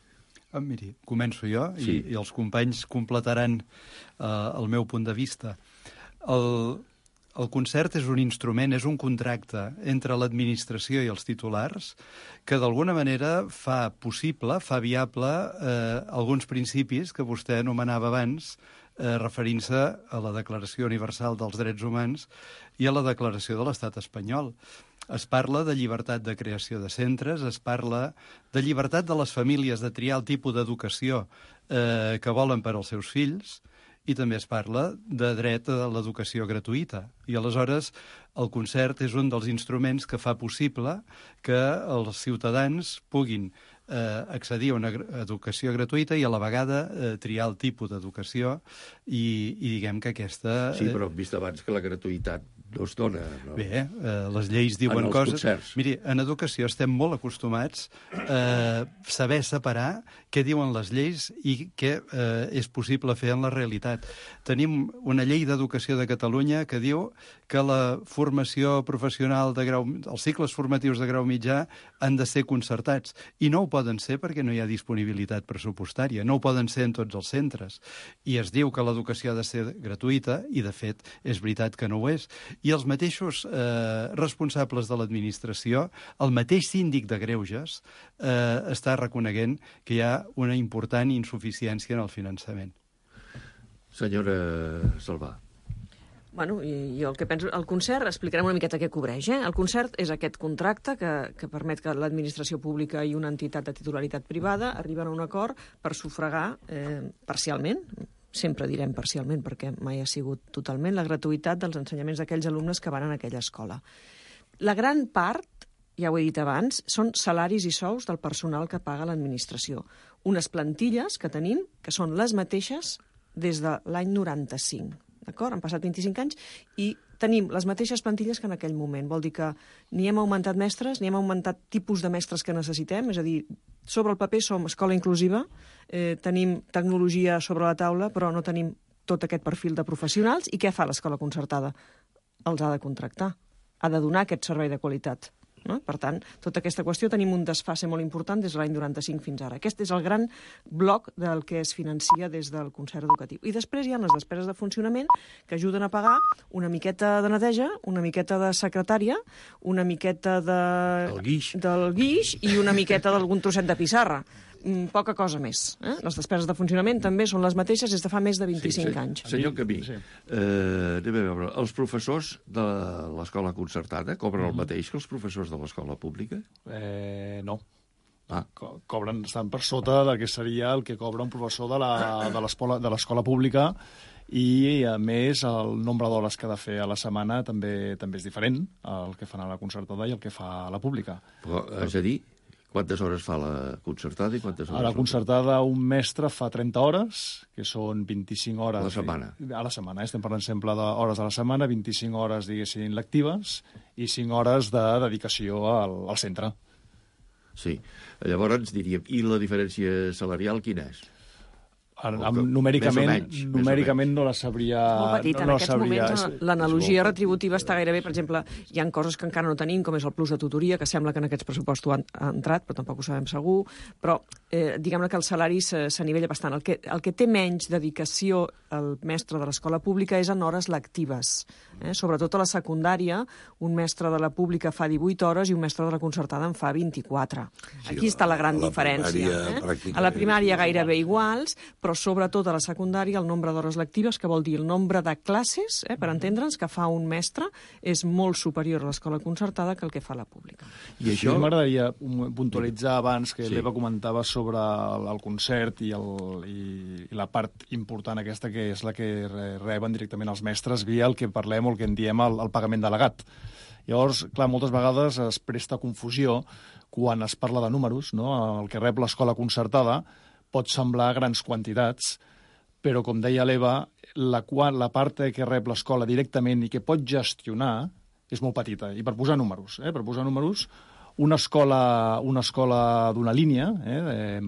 [SPEAKER 10] Ah, miri, començo jo
[SPEAKER 9] sí.
[SPEAKER 10] i, i els companys completaran eh, el meu punt de vista. El, el concert és un instrument, és un contracte entre l'administració i els titulars que d'alguna manera fa possible, fa viable eh, alguns principis que vostè anomenava abans, eh, referint-se a la Declaració Universal dels Drets Humans i a la Declaració de l'Estat espanyol. Es parla de llibertat de creació de centres, es parla de llibertat de les famílies de triar el tipus d'educació eh, que volen per als seus fills, i també es parla de dret a l'educació gratuïta. I aleshores el concert és un dels instruments que fa possible que els ciutadans puguin eh, accedir a una educació gratuïta i a la vegada eh, triar el tipus d'educació i, i diguem que aquesta...
[SPEAKER 9] Sí, però hem vist abans que la gratuïtat no es dona. No?
[SPEAKER 10] Bé, eh, les lleis diuen coses...
[SPEAKER 9] Concerts.
[SPEAKER 10] Miri, en educació estem molt acostumats a eh, saber separar què diuen les lleis i què eh, és possible fer en la realitat. Tenim una llei d'educació de Catalunya que diu que la formació professional de grau... els cicles formatius de grau mitjà han de ser concertats. I no ho poden ser perquè no hi ha disponibilitat pressupostària. No ho poden ser en tots els centres. I es diu que l'educació ha de ser gratuïta i, de fet, és veritat que no ho és. I els mateixos eh, responsables de l'administració, el mateix síndic de Greuges, eh, està reconeguent que hi ha una important insuficiència en el finançament.
[SPEAKER 9] Senyora Salvà.
[SPEAKER 11] Bueno, i jo el que penso... El concert, explicarem una miqueta què cobreix, eh? El concert és aquest contracte que, que permet que l'administració pública i una entitat de titularitat privada arriben a un acord per sufragar eh, parcialment, sempre direm parcialment perquè mai ha sigut totalment, la gratuïtat dels ensenyaments d'aquells alumnes que van en aquella escola. La gran part, ja ho he dit abans, són salaris i sous del personal que paga l'administració. Unes plantilles que tenim que són les mateixes des de l'any noranta-cinc. D'acord? Han passat vint-i-cinc anys i tenim les mateixes plantilles que en aquell moment. Vol dir que ni hem augmentat mestres, ni hem augmentat tipus de mestres que necessitem, és a dir, sobre el paper som escola inclusiva, eh, tenim tecnologia sobre la taula, però no tenim tot aquest perfil de professionals. I què fa l'escola concertada? Els ha de contractar, ha de donar aquest servei de qualitat. No? Per tant, tota aquesta qüestió tenim un desfase molt important des de l'any noranta-cinc fins ara. Aquest és el gran bloc del que es financia des del concert educatiu. I després hi ha les despeses de funcionament que ajuden a pagar una miqueta de neteja, una miqueta de secretària, una miqueta de...
[SPEAKER 9] El guix.
[SPEAKER 11] del guix i una miqueta d'algun trosset de pissarra. Mm, poca cosa més. Eh? Les despeses de funcionament també són les mateixes des de fa més de vint-i-cinc
[SPEAKER 9] sí, sí.
[SPEAKER 11] anys.
[SPEAKER 9] Senyor Camí, sí. eh, anem a veure, els professors de l'escola concertada cobren el mateix que els professors de l'escola pública?
[SPEAKER 14] Eh, no.
[SPEAKER 9] Ah.
[SPEAKER 14] Co cobren, estan per sota del que seria el que cobra un professor de l'escola pública i, a més, el nombre d'hores que ha de fer a la setmana també també és diferent, el que fan a la concertada i el que fa a la pública.
[SPEAKER 9] Però, és a dir, quantes hores fa la concertada i quantes hores...
[SPEAKER 14] A la concertada un mestre fa trenta hores, que són vint-i-cinc hores...
[SPEAKER 9] A la setmana.
[SPEAKER 14] A la setmana, estem parlant sempre d'hores a la setmana, vint-i-cinc hores, diguéssim, lectives i cinc hores de dedicació al, al centre.
[SPEAKER 9] Sí. Llavors diríem, i la diferència salarial quina és?
[SPEAKER 14] Ara, numèricament,
[SPEAKER 9] menys,
[SPEAKER 14] numèricament no la sabria...
[SPEAKER 11] Molt petit,
[SPEAKER 14] no,
[SPEAKER 11] en
[SPEAKER 14] no
[SPEAKER 11] aquests
[SPEAKER 14] sabria...
[SPEAKER 11] moments l'analogia retributiva està gairebé, per exemple, hi ha coses que encara no tenim, com és el plus de tutoria, que sembla que en aquests pressupostos han, ha entrat, però tampoc ho sabem segur, però eh, diguem-ne que el salari s'anivella bastant. El que, el que té menys dedicació el mestre de l'escola pública és en hores lectives. Eh? Sobretot a la secundària, un mestre de la pública fa divuit hores i un mestre de la concertada en fa vint-i-quatre. Sí, Aquí està la gran la diferència. Eh? A la primària gairebé iguals, però sobretot a la secundària el nombre d'hores lectives, que vol dir el nombre de classes, eh, per entendre'ns, que fa un mestre, és molt superior a l'escola concertada que el que fa la pública.
[SPEAKER 14] I això... M'agradaria puntualitzar abans que
[SPEAKER 9] sí.
[SPEAKER 14] l'Eva comentava sobre el, el concert i, el, i, i la part important aquesta, que és la que reben directament els mestres via el que parlem o el que en diem el, el pagament delegat. Llavors, clar, moltes vegades es presta confusió quan es parla de números, no? El que rep l'escola concertada pot semblar grans quantitats, però, com deia l'Eva, la, la part que rep l'escola directament i que pot gestionar és molt petita. I per posar números, eh? per posar números, una escola, una escola d'una línia eh,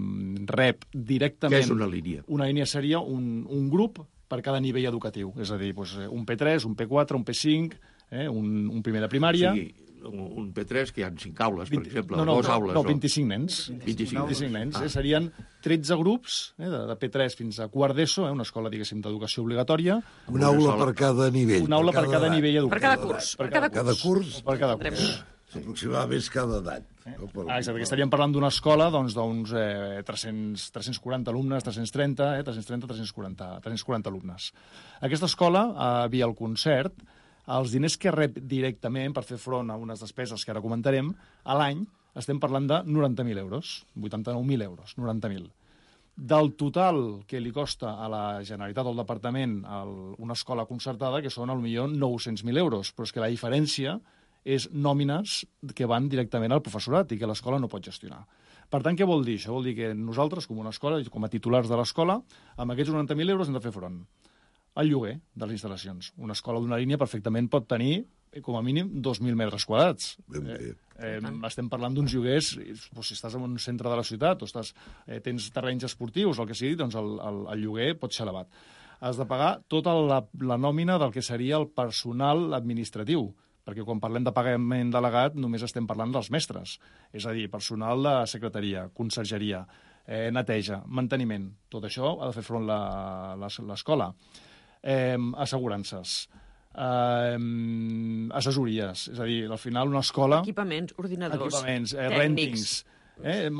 [SPEAKER 14] rep directament...
[SPEAKER 9] Què és una línia?
[SPEAKER 14] Una línia seria un, un grup per cada nivell educatiu, és a dir, doncs, un P tres, un P quatre, un P cinc, eh, un, un primer de primària...
[SPEAKER 9] O sigui, un P tres que hi ha cinc aules, per exemple,
[SPEAKER 14] no, no,
[SPEAKER 9] dues
[SPEAKER 14] no,
[SPEAKER 9] aules.
[SPEAKER 14] No, vint-i-cinc nens.
[SPEAKER 9] vint-i-cinc,
[SPEAKER 14] vint-i-cinc nens.
[SPEAKER 9] Ah.
[SPEAKER 14] Eh, serien tretze grups, eh, de, de P tres fins a quart d'ESO, eh, una escola, diguéssim, d'educació obligatòria.
[SPEAKER 13] Una aula per cada nivell.
[SPEAKER 14] Una aula per cada, cada nivell educatiu.
[SPEAKER 11] Per cada curs.
[SPEAKER 13] Per cada, cada curs.
[SPEAKER 14] Per cada curs.
[SPEAKER 13] Sí. Aproximadament cada edat.
[SPEAKER 14] Eh? Ah, exacte, que estaríem parlant d'una escola d'uns doncs, eh, tres-cents, tres-cents quaranta alumnes, tres-cents trenta, eh, tres-cents trenta, tres-cents quaranta, tres-cents quaranta alumnes. Aquesta escola, eh, via el concert, els diners que rep directament per fer front a unes despeses que ara comentarem, a l'any estem parlant de noranta mil euros, vuitanta-nou mil euros, noranta mil. Del total que li costa a la Generalitat o al Departament el, una escola concertada, que són potser nou-cents mil euros, però és que la diferència és nòmines que van directament al professorat i que l'escola no pot gestionar. Per tant, què vol dir? Això vol dir que nosaltres, com una escola, com a titulars de l'escola, amb aquests noranta mil euros hem de fer front al lloguer de les instal·lacions. Una escola d'una línia perfectament pot tenir, com a mínim, dos mil metres quadrats. Eh, eh, estem parlant d'uns lloguers, doncs, si estàs en un centre de la ciutat o estàs, eh, tens terrenys esportius, el que sigui, doncs el, el, el lloguer pot ser elevat. Has de pagar tota la, la nòmina del que seria el personal administratiu, perquè quan parlem de pagament delegat només estem parlant dels mestres, és a dir, personal de secretaria, consergeria, eh, neteja, manteniment, tot això ha de fer front l'escola. Eh, assegurances, eh, assessories, és a dir, al final una escola...
[SPEAKER 11] Equipaments, ordinadors,
[SPEAKER 14] equipaments, eh,
[SPEAKER 11] tècnics.
[SPEAKER 14] Rentings. Eh, eh,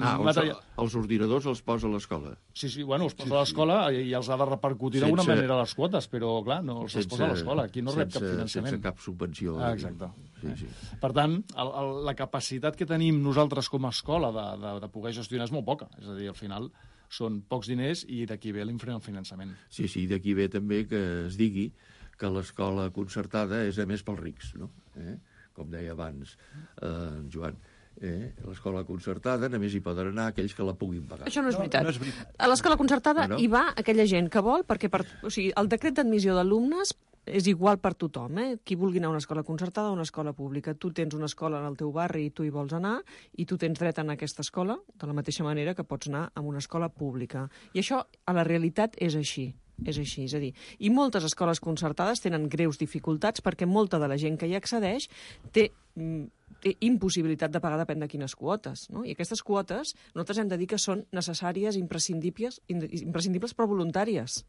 [SPEAKER 9] ah, material... els ordinadors els posa l'escola.
[SPEAKER 14] Sí, sí, bueno, els posa sí, l'escola sí. i els ha de repercutir d'alguna sense... manera a les quotes, però, clar, no els sense... posa l'escola. Aquí no sense... rep cap finançament.
[SPEAKER 9] Sense cap subvenció.
[SPEAKER 14] Ah, exacte.
[SPEAKER 9] Sí, sí.
[SPEAKER 14] Per tant, el, el, la capacitat que tenim nosaltres com a escola de, de, de poder gestionar és molt poca. És a dir, al final són pocs diners i d'aquí ve l'infrafinançament.
[SPEAKER 9] Sí, sí, d'aquí ve també que es digui que l'escola concertada és a més pels rics, no? Eh? Com deia abans eh, Joan. Eh, l'escola concertada només hi poden anar aquells que la puguin pagar.
[SPEAKER 11] Això no és veritat.
[SPEAKER 14] No, no és veritat.
[SPEAKER 11] A l'escola concertada
[SPEAKER 9] no, no.
[SPEAKER 11] hi va aquella gent que vol, perquè per, o sigui, el decret d'admissió d'alumnes és igual per tothom, eh? Qui vulgui anar a una escola concertada o una escola pública. Tu tens una escola en el teu barri i tu hi vols anar, i tu tens dret a anar a aquesta escola de la mateixa manera que pots anar a una escola pública. I això, a la realitat, és així. És així, és a dir, i moltes escoles concertades tenen greus dificultats perquè molta de la gent que hi accedeix té, impossibilitat de pagar depèn de quines quotes, no? I aquestes quotes nosaltres hem de dir que són necessàries, imprescindibles, imprescindibles però voluntàries.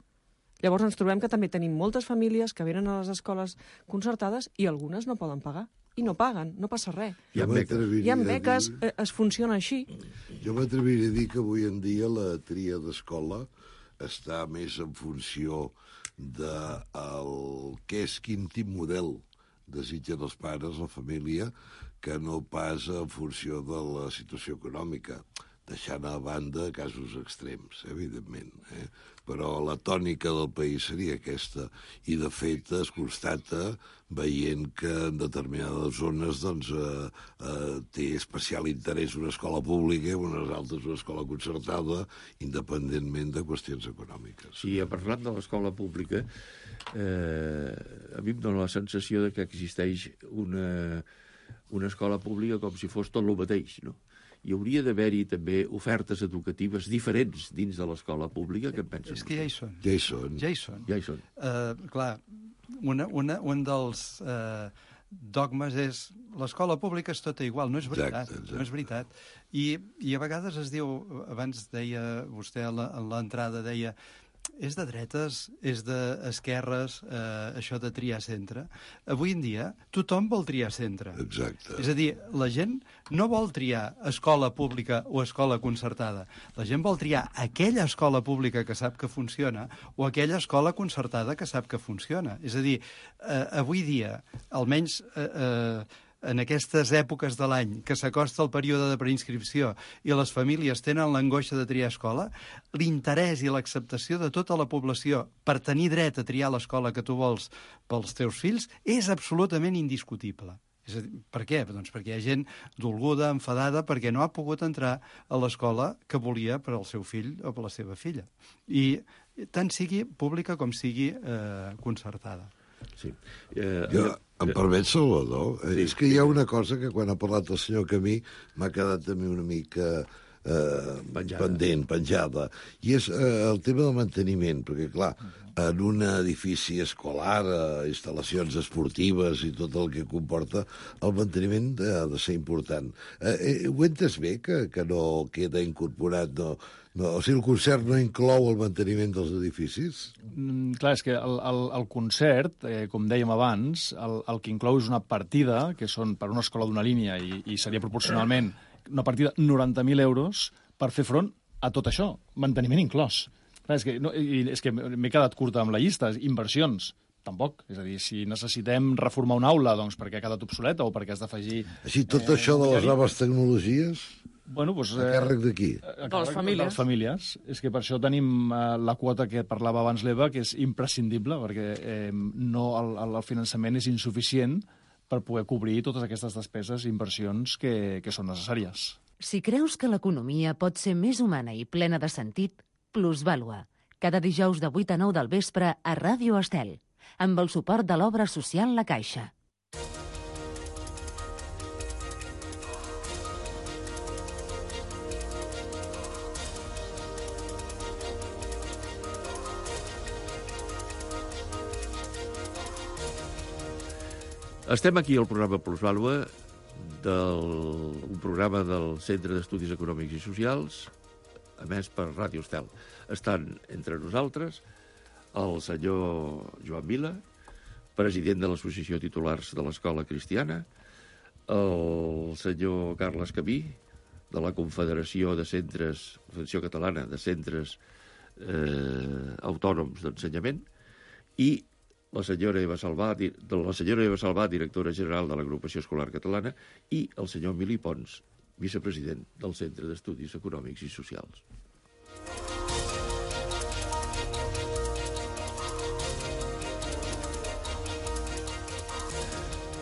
[SPEAKER 11] Llavors ens trobem que també tenim moltes famílies que venen a les escoles concertades i algunes no poden pagar. I no paguen, no passa res.
[SPEAKER 13] Hi ha beques,
[SPEAKER 11] Hi ha beques dir... es funciona així.
[SPEAKER 13] Jo m'atreviria a dir que avui en dia la tria d'escola està més en funció de el que és, quin tip model desitgen els pares, la família, que no pas en funció de la situació econòmica, deixant a banda casos extrems, evidentment. Eh? Però la tònica del país seria aquesta, i de fet es constata veient que en determinades zones doncs, eh, eh, té especial interès una escola pública i unes altres una escola concertada, independentment de qüestions econòmiques.
[SPEAKER 9] Sí, parlant de l'escola pública, eh, a mi em dóna la sensació de que existeix una, una escola pública com si fos tot el mateix, no? Hi hauria d'haver-hi també ofertes educatives diferents dins de l'escola pública, que en pensen?
[SPEAKER 10] És que ja hi són.
[SPEAKER 13] Ja hi són.
[SPEAKER 10] Ja hi són.
[SPEAKER 9] Ja hi són.
[SPEAKER 10] Uh, clar, una, una, un dels uh, dogmes és l'escola pública és tota igual. No és veritat. Exacte, exacte. No és veritat. I, I a vegades es diu, abans deia vostè a l'entrada, deia és de dretes, és d'esquerres, eh, això de triar centre. Avui en dia tothom vol triar centre.
[SPEAKER 13] Exacte.
[SPEAKER 10] És a dir, la gent no vol triar escola pública o escola concertada. La gent vol triar aquella escola pública que sap que funciona o aquella escola concertada que sap que funciona. És a dir, eh, avui dia, almenys eh, eh, en aquestes èpoques de l'any que s'acosta el període de preinscripció i les famílies tenen l'angoixa de triar escola, l'interès i l'acceptació de tota la població per tenir dret a triar l'escola que tu vols pels teus fills és absolutament indiscutible. És a dir, per què? Doncs perquè hi ha gent dolguda, enfadada, perquè no ha pogut entrar a l'escola que volia per al seu fill o per la seva filla. I tant sigui pública com sigui eh, concertada.
[SPEAKER 9] Sí. Eh,
[SPEAKER 13] jo, em permet, Salvador? Sí. És que hi ha una cosa que quan ha parlat el senyor Camí m'ha quedat a mi una mica eh, penjada. pendent, penjada, i és eh, el tema del manteniment, perquè, clar, en un edifici escolar, eh, instal·lacions esportives i tot el que comporta, el manteniment ha de ser important. Eh, eh, ho entes bé, que, que no queda incorporat, no, no, o sigui, el concert no inclou el manteniment dels edificis?
[SPEAKER 14] Mm, clar, és que el, el, el concert, eh, com dèiem abans, el, el que inclou és una partida, que són per una escola d'una línia, i, i seria proporcionalment una partida noranta mil euros per fer front a tot això, manteniment inclòs. Clar, és que, no, i, és que m'he quedat curta amb la llista, inversions. Tampoc. És a dir, si necessitem reformar una aula doncs perquè ha quedat obsoleta o perquè has d'afegir...
[SPEAKER 13] Així, tot eh, això de les noves tecnologies...
[SPEAKER 14] Bueno, doncs,
[SPEAKER 13] a càrrec de qui?
[SPEAKER 14] De les famílies. De les famílies. És que per això tenim eh, la quota que parlava abans l'Eva, que és imprescindible, perquè eh, no, el, el finançament és insuficient per poder cobrir totes aquestes despeses i inversions que, que són necessàries.
[SPEAKER 6] Si creus que l'economia pot ser més humana i plena de sentit, Plusvàlua. Cada dijous de vuit a nou del vespre a Ràdio Estel, amb el suport de l'obra social La Caixa.
[SPEAKER 9] Estem aquí al programa Plusvàlua, del, un programa del Centre d'Estudis Econòmics i Socials, emès per Ràdio Estel. Estan entre nosaltres el senyor Joan Vila, president de l'Associació Titulars de l'Escola Cristiana, el senyor Carles Camí, de la Confederació de Centres, Confederació Catalana de Centres eh, Autònoms d'Ensenyament, i la senyora Eva Salvà, la senyora Eva Salvà, directora general de l'Agrupació Escolar Catalana, i el senyor Emili Pons, vicepresident del Centre d'Estudis Econòmics i Socials.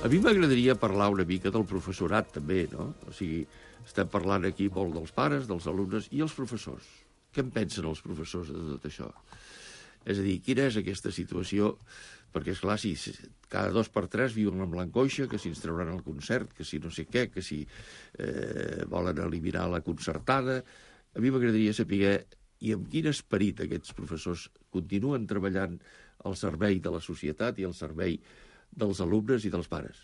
[SPEAKER 9] A mi m'agradaria parlar una mica del professorat, també, no? O sigui, estem parlant aquí molt dels pares, dels alumnes i els professors. Què en pensen els professors de tot això? És a dir, quina és aquesta situació? Perquè, esclar, si cada dos per tres viuen amb l'angoixa, que si ens trauran el concert, que si no sé què, que si eh, volen eliminar la concertada... A mi m'agradaria saber i amb quin esperit aquests professors continuen treballant al servei de la societat i al servei dels alumnes i dels pares.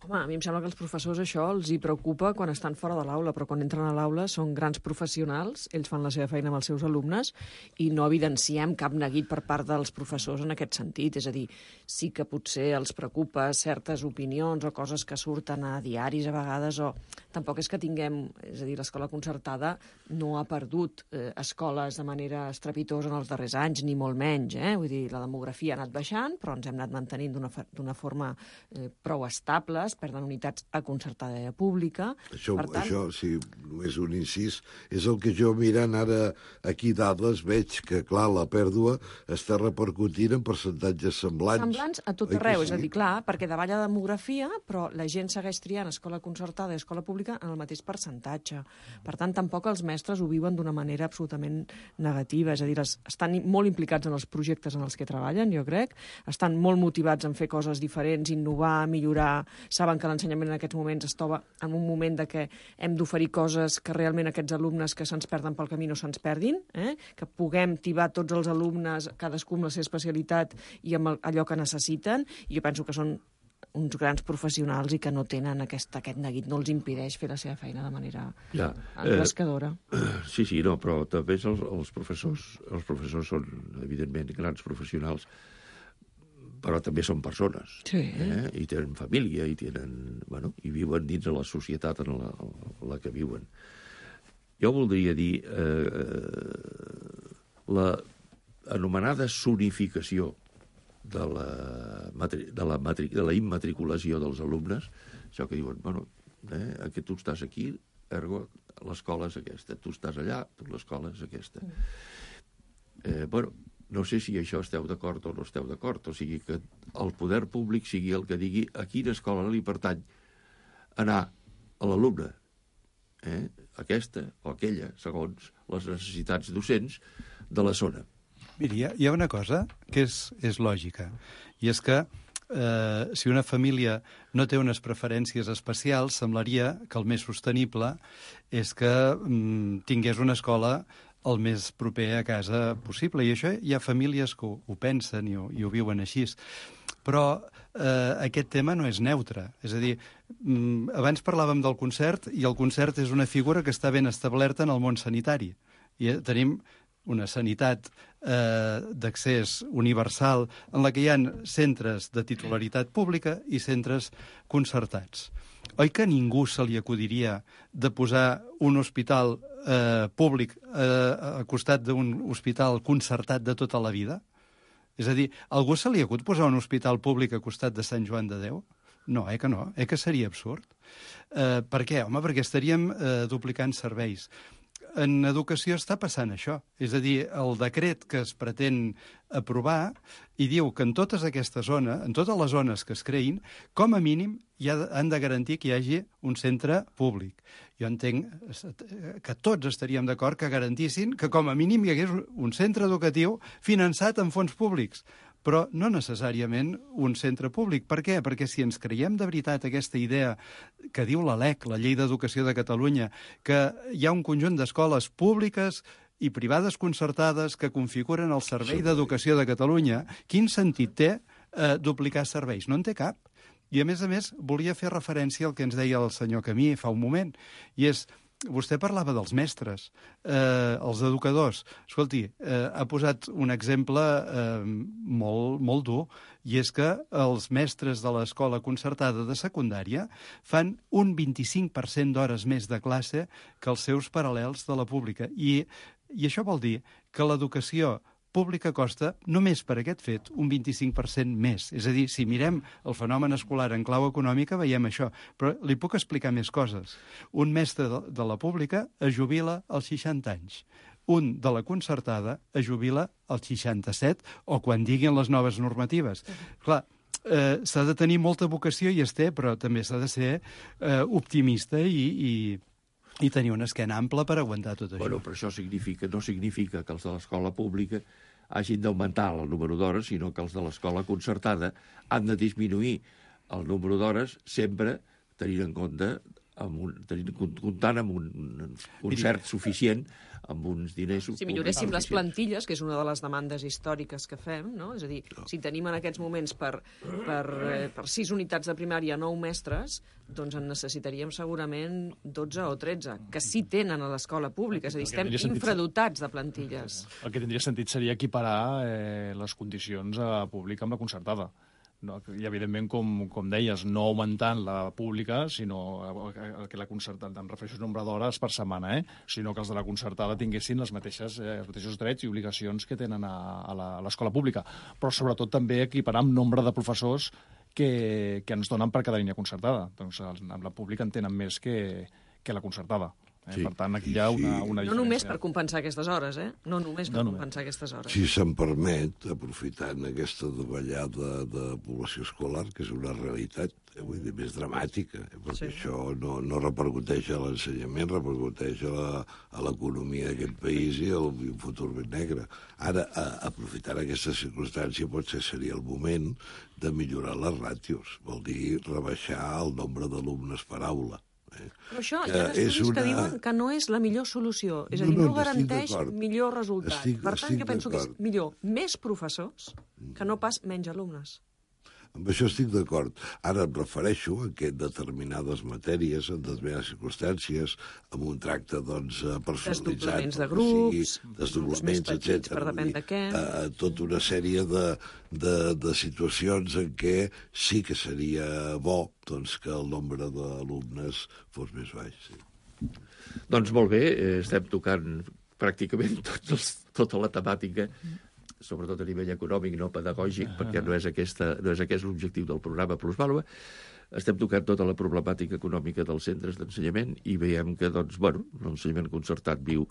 [SPEAKER 11] Home, a mi em sembla que els professors això els hi preocupa quan estan fora de l'aula, però quan entren a l'aula són grans professionals, ells fan la seva feina amb els seus alumnes i no evidenciem cap neguit per part dels professors en aquest sentit. És a dir, sí que potser els preocupa certes opinions o coses que surten a diaris a vegades, o tampoc és que tinguem... És a dir, l'escola concertada no ha perdut eh, escoles de manera estrepitosa en els darrers anys, ni molt menys. Eh? Vull dir, la demografia ha anat baixant, però ens hem anat mantenint d'una forma eh, prou estable, perden unitats a concertada i a pública.
[SPEAKER 13] Això,
[SPEAKER 11] per tant...
[SPEAKER 13] això, sí, només un incís, és el que jo mirant ara aquí dades veig que, clar, la pèrdua està repercutint en percentatges semblants.
[SPEAKER 11] Semblants a tot arreu, sí? És a dir, clar, perquè davall la demografia, però la gent segueix triant escola concertada i escola pública en el mateix percentatge. Per tant, tampoc els mestres ho viuen d'una manera absolutament negativa, és a dir, estan molt implicats en els projectes en els que treballen, jo crec, estan molt motivats en fer coses diferents, innovar, millorar, saben que l'ensenyament en aquests moments es troba en un moment de que hem d'oferir coses que realment aquests alumnes que se'ns perden pel camí no se'ns perdin, eh? Que puguem tibar tots els alumnes, cadascú amb la seva especialitat i amb allò que necessiten, i jo penso que són uns grans professionals i que no tenen aquest, aquest neguit, no els impedeix fer la seva feina de manera ja, engrescadora.
[SPEAKER 9] Eh, sí, sí, no, però també els, els professors, els professors són, evidentment, grans professionals, però també són persones, sí. eh? I tenen família, i tenen, bueno, i viuen dins de la societat en la, en la que viuen. Jo voldria dir eh, la anomenada zonificació de la, de la, de la immatriculació dels alumnes, això que diuen, bueno, eh, que tu estàs aquí, ergo l'escola és aquesta, tu estàs allà, tu l'escola és aquesta. Eh, bueno, no sé si això esteu d'acord o no esteu d'acord, o sigui que el poder públic sigui el que digui a quina escola li pertany anar a l'alumne, eh? Aquesta o aquella, segons les necessitats docents de la zona.
[SPEAKER 10] Miri, hi ha, hi ha una cosa que és, és lògica, i és que eh, si una família no té unes preferències especials, semblaria que el més sostenible és que mm, tingués una escola el més proper a casa possible. I això hi ha famílies que ho, ho pensen i ho, i ho viuen així. Però eh, aquest tema no és neutre. És a dir, mm, abans parlàvem del concert, i el concert és una figura que està ben establerta en el món sanitari. I tenim una sanitat eh, d'accés universal en la que hi ha centres de titularitat pública i centres concertats. Oi que a ningú se li acudiria de posar un hospital eh, públic eh, a costat d'un hospital concertat de tota la vida? És a dir, a algú se li acut posar un hospital públic a costat de Sant Joan de Déu? No, eh que no, eh que seria absurd. Eh, per què? Home, perquè estaríem eh, duplicant serveis. En educació està passant això. És a dir, el decret que es pretén aprovar i diu que en totes aquestes zones, en totes les zones que es creïn, com a mínim hi ha, han de garantir que hi hagi un centre públic. Jo entenc que tots estaríem d'acord que garantissin que com a mínim hi hagués un centre educatiu finançat amb fons públics, però no necessàriament un centre públic. Per què? Perquè si ens creiem de veritat aquesta idea que diu la L E C, la Llei d'Educació de Catalunya, que hi ha un conjunt d'escoles públiques i privades concertades que configuren el Servei d'Educació de Catalunya, quin sentit té eh, duplicar serveis? No en té cap. I, a més a més, volia fer referència al que ens deia el senyor Camí fa un moment, i és... Vostè parlava dels mestres, eh, els educadors. Escolti, eh, ha posat un exemple eh, molt, molt dur, i és que els mestres de l'escola concertada de secundària fan un vint-i-cinc per cent d'hores més de classe que els seus paral·lels de la pública. I, i això vol dir que l'educació pública costa, només per aquest fet, un vint-i-cinc per cent més. És a dir, si mirem el fenomen escolar en clau econòmica, veiem això. Però li puc explicar més coses. Un mestre de, de la pública es jubila als seixanta anys. Un de la concertada es jubila als seixanta-set, o quan diguin les noves normatives. Clar, eh, s'ha de tenir molta vocació, i es té, però també s'ha de ser eh, optimista i... i i tenir una esquena ampla per aguantar tot això.
[SPEAKER 9] Bueno, però això significa, no significa que els de l'escola pública hagin d'augmentar el número d'hores, sinó que els de l'escola concertada han de disminuir el número d'hores sempre tenint en compte amb un, tenint, comptant amb un concert suficient, amb uns diners...
[SPEAKER 11] Si milloréssim les plantilles, que és una de les demandes històriques que fem, no? És a dir, si tenim en aquests moments per, per, eh, per sis unitats de primària nou mestres, doncs en necessitaríem segurament dotze o tretze, que sí tenen a l'escola pública. És a dir, estem infradotats de plantilles.
[SPEAKER 14] El que tindria sentit seria equiparar eh, les condicions a pública amb la concertada. No, i, evidentment, com, com deies, no augmentant la pública, sinó que la concertada, em refereixo al nombre d'hores per setmana, eh? sinó que els de la concertada tinguessin les mateixes, eh, els mateixos drets i obligacions que tenen a, a l'escola pública. Però, sobretot, també equiparar amb nombre de professors que, que ens donen per cada línia concertada. Doncs amb la pública en tenen més que, que la concertada. Eh? Sí, per tant, aquí hi ha una, una diferència.
[SPEAKER 11] No només per compensar aquestes hores, eh? No només per no, compensar aquestes hores.
[SPEAKER 13] Si se'm permet, aprofitant aquesta davallada de població escolar, que és una realitat, eh, vull dir, més dramàtica, eh? perquè sí. això no, no repercuteix a l'ensenyament, repercuteix a l'economia d'aquest país i a un futur ben negre. Ara, a, aprofitant aquesta circumstància, potser seria el moment de millorar les ràtios, vol dir rebaixar el nombre d'alumnes per aula.
[SPEAKER 11] Però això, hi ha estudis una... que diuen que no és la millor solució. És a dir, no, no garanteix millor resultat. Estic, per tant, jo penso que és millor més professors que no pas menys alumnes.
[SPEAKER 13] Amb això estic d'acord. Ara em refereixo a que determinades matèries, en determinades circumstàncies, amb un tracte doncs, personalitzat...
[SPEAKER 11] Desdoblaments de grups,
[SPEAKER 13] desdoblaments, etcètera.
[SPEAKER 11] Per depèn de què.
[SPEAKER 13] A, a tota una sèrie de, de, de situacions en què sí que seria bo doncs, que el nombre d'alumnes fos més baix. Sí.
[SPEAKER 9] Doncs molt bé, estem tocant pràcticament tots els, tota la temàtica, sobretot a nivell econòmic, no pedagògic, perquè no és, aquesta, no és aquest l'objectiu del programa Plusvàlua. Estem tocant tota la problemàtica econòmica dels centres d'ensenyament i veiem que, doncs, bueno, l'ensenyament concertat viu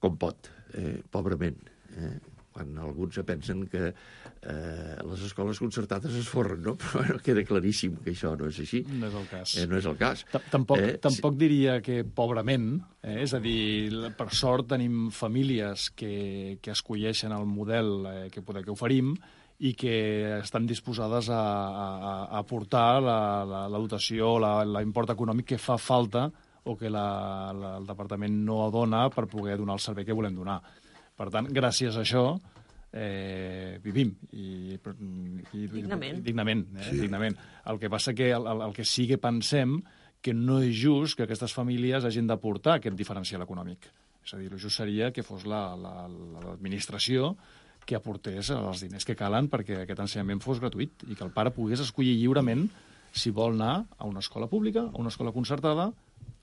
[SPEAKER 9] com pot, eh, pobrament. Eh? Quan alguns pensen que eh, les escoles concertades es forren, no? Però bueno, queda claríssim que això no és així.
[SPEAKER 14] No és el cas.
[SPEAKER 9] Eh, no és el cas.
[SPEAKER 14] Tampoc,
[SPEAKER 9] eh,
[SPEAKER 14] tampoc diria que pobrament, eh? És a dir, per sort tenim famílies que, que escolleixen el model eh, que, poder, que oferim i que estan disposades a, a, a aportar la, la, la dotació, la, l'import econòmic que fa falta o que la, la, el departament no dona per poder donar el servei que volem donar. Per tant, gràcies a això, eh, vivim. I, i,
[SPEAKER 11] dignament.
[SPEAKER 14] I, dignament, eh? Sí. dignament. El que passa que el, el que sí que pensem que no és just que aquestes famílies hagin d'aportar aquest diferencial econòmic. És a dir, el just seria que fos la, la, l'administració que aportés els diners que calen perquè aquest ensenyament fos gratuït i que el pare pogués escollir lliurement si vol anar a una escola pública, a una escola concertada,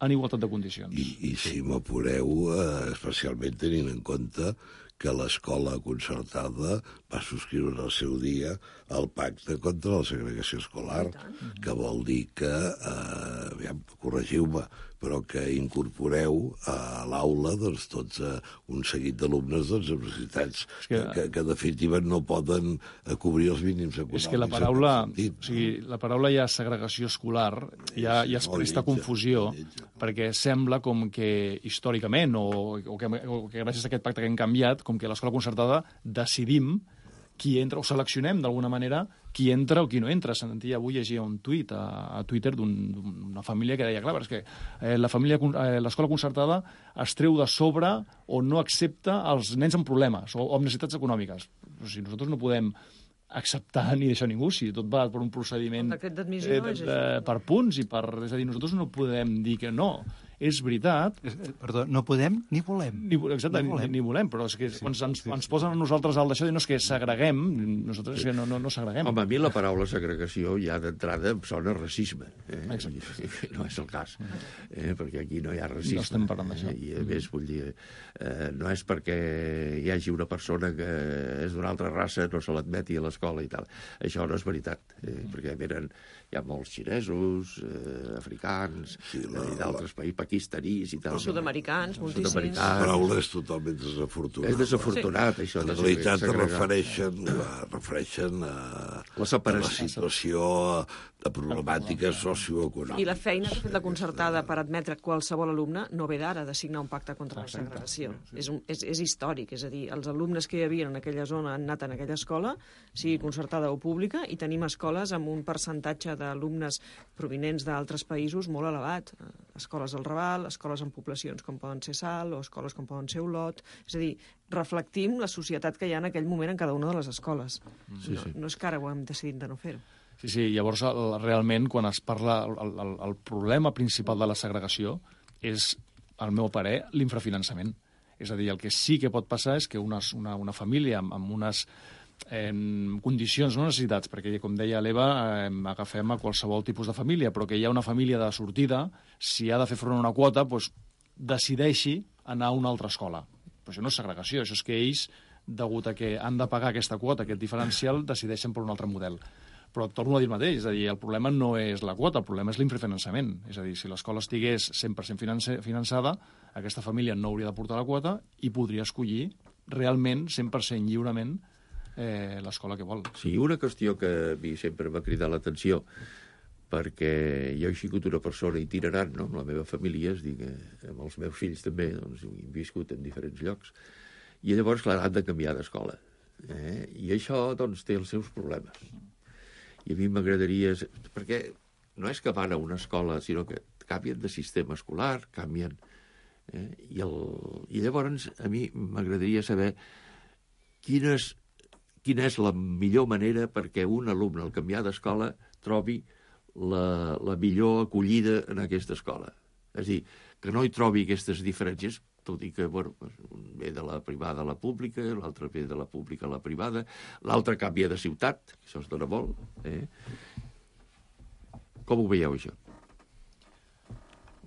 [SPEAKER 14] en igualtat de condicions.
[SPEAKER 13] I, i si m'apureu, eh, especialment tenint en compte que l'escola concertada va subscriure al seu dia el pacte contra la segregació escolar, que vol dir que, eh, aviam, corregiu-me, però que incorporeu a l'aula doncs, tots uh, un seguit d'alumnes doncs, amb necessitats que, que, que, de definitiva, no poden uh, cobrir els mínims econòmics.
[SPEAKER 14] És que la paraula, sentit, o sigui, la paraula ja segregació escolar ja, ja es presta confusió, perquè sembla com que històricament, o, o, que, o que gràcies a aquest pacte que hem canviat, com que a l'escola concertada decidim qui entra, o seleccionem d'alguna manera qui entra o qui no entra. Sentia avui llegia un tuit a, a Twitter d'un, d'una família que deia, clar, és que eh, la família, eh, l'escola concertada es treu de sobre o no accepta els nens amb problemes o, o amb necessitats econòmiques. O sigui, nosaltres no podem acceptar ni deixar ningú, si tot va per un procediment
[SPEAKER 11] eh, de,
[SPEAKER 14] de, per punts i per... És a dir, nosaltres no podem dir que no. És veritat...
[SPEAKER 10] Perdó, no podem ni volem.
[SPEAKER 14] Ni, exacte, ni volem. Ni, ni volem, però és que sí, quan sí, ens, sí, ens posen a nosaltres al d'això, no és que segreguem, nosaltres és que no, no, no segreguem.
[SPEAKER 9] Home, a mi la paraula segregació ja d'entrada em sona racisme. Eh? No és el cas, eh? perquè aquí no hi ha racisme.
[SPEAKER 14] No estem parlant d'això.
[SPEAKER 9] I a més, vull dir, eh, no és perquè hi hagi una persona que és d'una altra raça, no se l'admeti a l'escola i tal. Això no és veritat, eh? perquè venen, hi ha molts xinesos, eh, africans, sí, la, d'altres països, pakistanis i tal.
[SPEAKER 11] Els sud-americans, moltíssims.
[SPEAKER 13] La paraula és totalment desafortunada.
[SPEAKER 9] És desafortunat, sí. Això.
[SPEAKER 13] En realitat es refereixen, refereixen a
[SPEAKER 9] la separació.
[SPEAKER 13] A la situació de problemàtiques socioeconòmica.
[SPEAKER 11] I la feina que ha fet la concertada per admetre qualsevol alumne no ve d'ara, de signar un pacte contra la segregació. És, un, és, és històric, és a dir, els alumnes que hi havia en aquella zona han anat en aquella escola, sigui concertada o pública, i tenim escoles amb un percentatge d'alumnes provinents d'altres països molt elevat. Escoles del Raval, escoles en poblacions com poden ser Salt, o escoles com poden ser Olot. És a dir, reflectim la societat que hi ha en aquell moment en cada una de les escoles.
[SPEAKER 9] Sí, sí.
[SPEAKER 11] No, no és que ara ho hem decidit de no fer-ho.
[SPEAKER 14] Sí, sí, llavors el, realment quan es parla, el, el, el problema principal de la segregació és, al meu parer, l'infrafinançament. És a dir, el que sí que pot passar és que una, una, una família amb, amb unes eh, condicions, no necessitats, perquè com deia l'Eva, eh, agafem a qualsevol tipus de família, però que hi ha una família de sortida, si ha de fer front a una quota, doncs, decideixi anar a una altra escola. Però això no és segregació, això és que ells, degut a que han de pagar aquesta quota, aquest diferencial, decideixen per un altre model. Però torno a dir el mateix, és a dir, el problema no és la quota, el problema és l'infrafinançament. És a dir, si l'escola estigués cent per cent finançada, aquesta família no hauria de portar la quota i podria escollir realment, cent per cent lliurement, eh, l'escola que vol.
[SPEAKER 9] Sí, una qüestió que a mi sempre m'ha cridat l'atenció, perquè jo he sigut una persona itinerant, no?, amb la meva família, és dir, que amb els meus fills també, doncs, he viscut en diferents llocs, i llavors, clar, han de canviar d'escola. Eh? I això, doncs, té els seus problemes. I a mi m'agradaria... Perquè no és que van a una escola, sinó que canvien de sistema escolar, canvien... Eh? I, el... I llavors a mi m'agradaria saber quina és, quina és la millor manera perquè un alumne al canviar d'escola trobi la, la millor acollida en aquesta escola. És a dir, que no hi trobi aquestes diferències, tot i que, bueno, un ve de la privada a la pública, l'altre ve de la pública a la privada, l'altre canvia de ciutat, això es dona molt. Eh? Com ho veieu, això?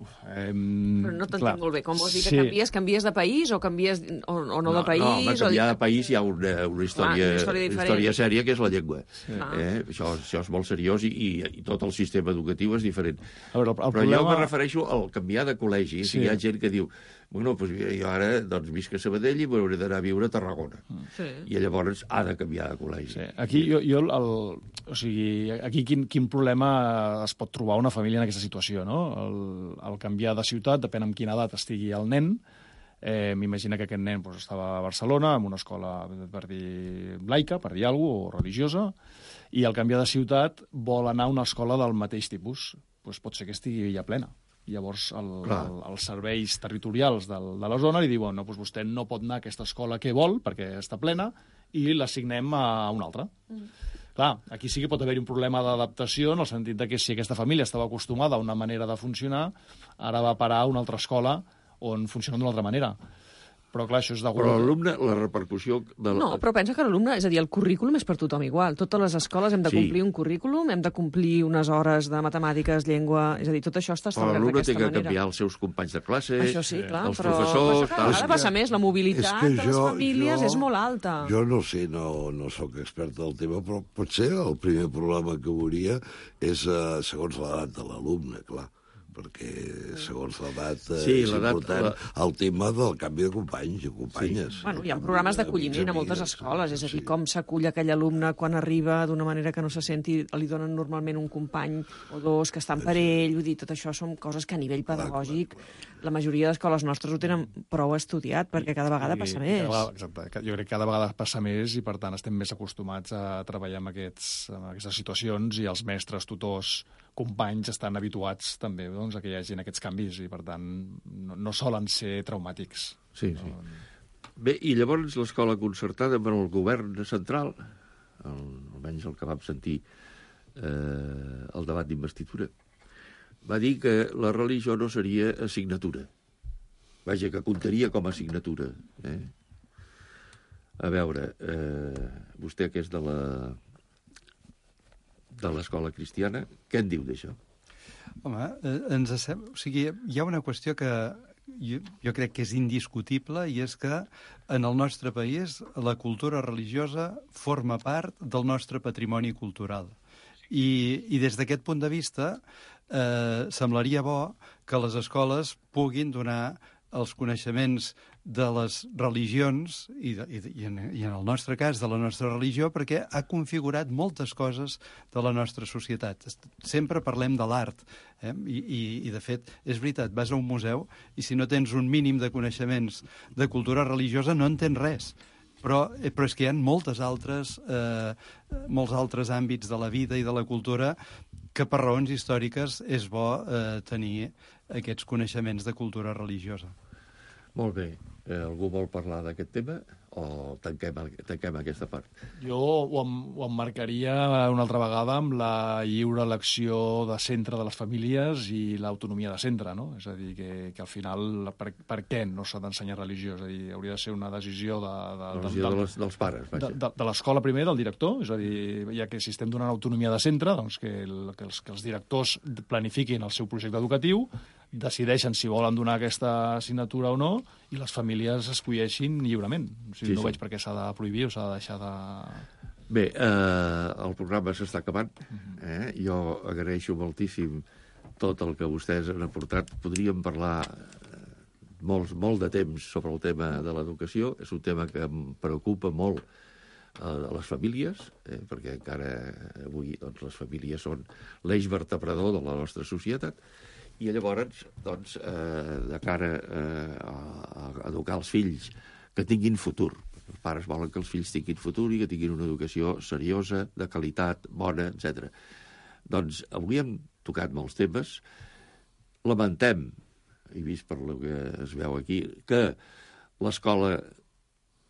[SPEAKER 14] Uf, eh,
[SPEAKER 11] Però no t'entenc molt bé. Com vols dir que
[SPEAKER 14] sí.
[SPEAKER 11] canvies? Canvies de país o canvies o, o no, no de país?
[SPEAKER 9] No, home, canviar
[SPEAKER 11] o...
[SPEAKER 9] de país hi ha una, una, història,
[SPEAKER 11] Clar, una història
[SPEAKER 9] una història sèria, que és la llengua. Sí. Eh? Això, això és molt seriós i, i, i tot el sistema educatiu és diferent.
[SPEAKER 14] A veure, el, el
[SPEAKER 9] Però
[SPEAKER 14] problema...
[SPEAKER 9] jo me refereixo al canviar de col·legi. Sí. Si hi ha gent que diu, bueno, doncs jo ara doncs, visc a Sabadell i m'hauré d'anar a viure a Tarragona. Sí. I llavors ha de canviar de col·legi.
[SPEAKER 14] Sí. Aquí, jo, jo el, o sigui, aquí quin, quin problema es pot trobar una família en aquesta situació, no? El, el canviar de ciutat, depèn amb quina edat estigui el nen. Eh, M'imagina que aquest nen doncs, estava a Barcelona, en una escola, per dir, laica, per dir alguna cosa, o religiosa, i al canviar de ciutat vol anar a una escola del mateix tipus. Doncs pot ser que estigui ja plena. Llavors, el, el, els serveis territorials del, de la zona li diuen no, doncs vostè no pot anar a aquesta escola que vol, perquè està plena, i l'assignem a una altra. Mm. Clar, aquí sí que pot haver-hi un problema d'adaptació, en el sentit de que si aquesta família estava acostumada a una manera de funcionar, ara va a parar a una altra escola on funciona d'una altra manera. Però, clar, això és degut...
[SPEAKER 9] Però l'alumne, la repercussió... De la...
[SPEAKER 11] No, però pensa que l'alumne, és a dir, el currículum és per tothom igual. Totes les escoles hem de complir sí. un currículum, hem de complir unes hores de matemàtiques, llengua... És a dir, tot això està establert d'aquesta manera.
[SPEAKER 9] Però l'alumne té que canviar els seus companys de classe,
[SPEAKER 11] això sí, clar,
[SPEAKER 9] els
[SPEAKER 11] però
[SPEAKER 9] professors...
[SPEAKER 11] Però cada vegada passa més, la mobilitat és que de les jo, famílies jo, és molt alta.
[SPEAKER 13] Jo no sé, no, no sóc expert del tema, però potser el primer problema que veuria és eh, segons l'edat de l'alumne, clar. perquè segons l'edat eh, sí, és important la... el tema del canvi de companys i companyes.
[SPEAKER 11] Sí. Bueno, hi ha programes d'acolliment a moltes escoles, és a dir, sí. com s'acull aquell alumne quan arriba d'una manera que no se senti, li donen normalment un company o dos que estan per ell, vull dir, tot això són coses que a nivell pedagògic la majoria d'escoles nostres ho tenen prou estudiat, perquè cada vegada passa I, més.
[SPEAKER 14] Cada, exacte, jo crec que cada vegada passa més i per tant estem més acostumats a treballar amb, aquests, amb aquestes situacions i els mestres, tutors, companys estan habituats també doncs, a que hi hagi aquests canvis i per tant no, no solen ser traumàtics.
[SPEAKER 9] Sí, sí. No... Bé, i llavors l'escola concertada amb el govern central, el, almenys el que vam sentir eh, el debat d'investidura, va dir que la religió no seria assignatura. Vaja, que comptaria com a assignatura. Eh? A veure, eh, vostè que és de la de l'escola cristiana, què en diu d'això?
[SPEAKER 10] Home, eh, ens sem... o sigui, hi ha una qüestió que jo, jo crec que és indiscutible i és que en el nostre país la cultura religiosa forma part del nostre patrimoni cultural. I, i des d'aquest punt de vista eh, semblaria bo que les escoles puguin donar els coneixements de les religions, i, de, i, en, i en el nostre cas de la nostra religió, perquè ha configurat moltes coses de la nostra societat. Sempre parlem de l'art, eh? I, i, i de fet, és veritat, vas a un museu i si no tens un mínim de coneixements de cultura religiosa no entens res. Però, però és que hi ha moltes altres, eh, molts altres àmbits de la vida i de la cultura que per raons històriques és bo eh, tenir aquests coneixements de cultura religiosa.
[SPEAKER 9] Molt bé. Eh, algú vol parlar d'aquest tema o tanquem, tanquem aquesta part?
[SPEAKER 14] Jo ho, em, ho emmarcaria una altra vegada amb la lliure elecció de centre de les famílies i l'autonomia de centre, no? És a dir, que, que al final, per, per què no s'ha d'ensenyar religió? És a dir, hauria de ser una decisió de... de,
[SPEAKER 9] de, decisió de, de, les, dels pares,
[SPEAKER 14] vaja. De, de, de l'escola primer, del director, és a dir, ja que si estem donant autonomia de centre, doncs que, el, que, els, que els directors planifiquin el seu projecte educatiu, decideixen si volen donar aquesta assignatura o no, i les famílies escolleixin lliurement. O sigui, sí, no sí. veig per què s'ha de prohibir o s'ha de deixar de...
[SPEAKER 9] Bé, eh, el programa s'està acabant. Eh? Jo agraeixo moltíssim tot el que vostès han aportat. Podríem parlar molt, molt de temps sobre el tema de l'educació. És un tema que em preocupa molt a les famílies, eh? perquè encara avui doncs, les famílies són l'eix vertebrador de la nostra societat. I llavors, doncs, eh, de cara eh, a, a educar els fills que tinguin futur. Els pares volen que els fills tinguin futur i que tinguin una educació seriosa, de qualitat, bona, etcètera. Doncs avui hem tocat molts temes. Lamentem, he vist per el que es veu aquí, que l'escola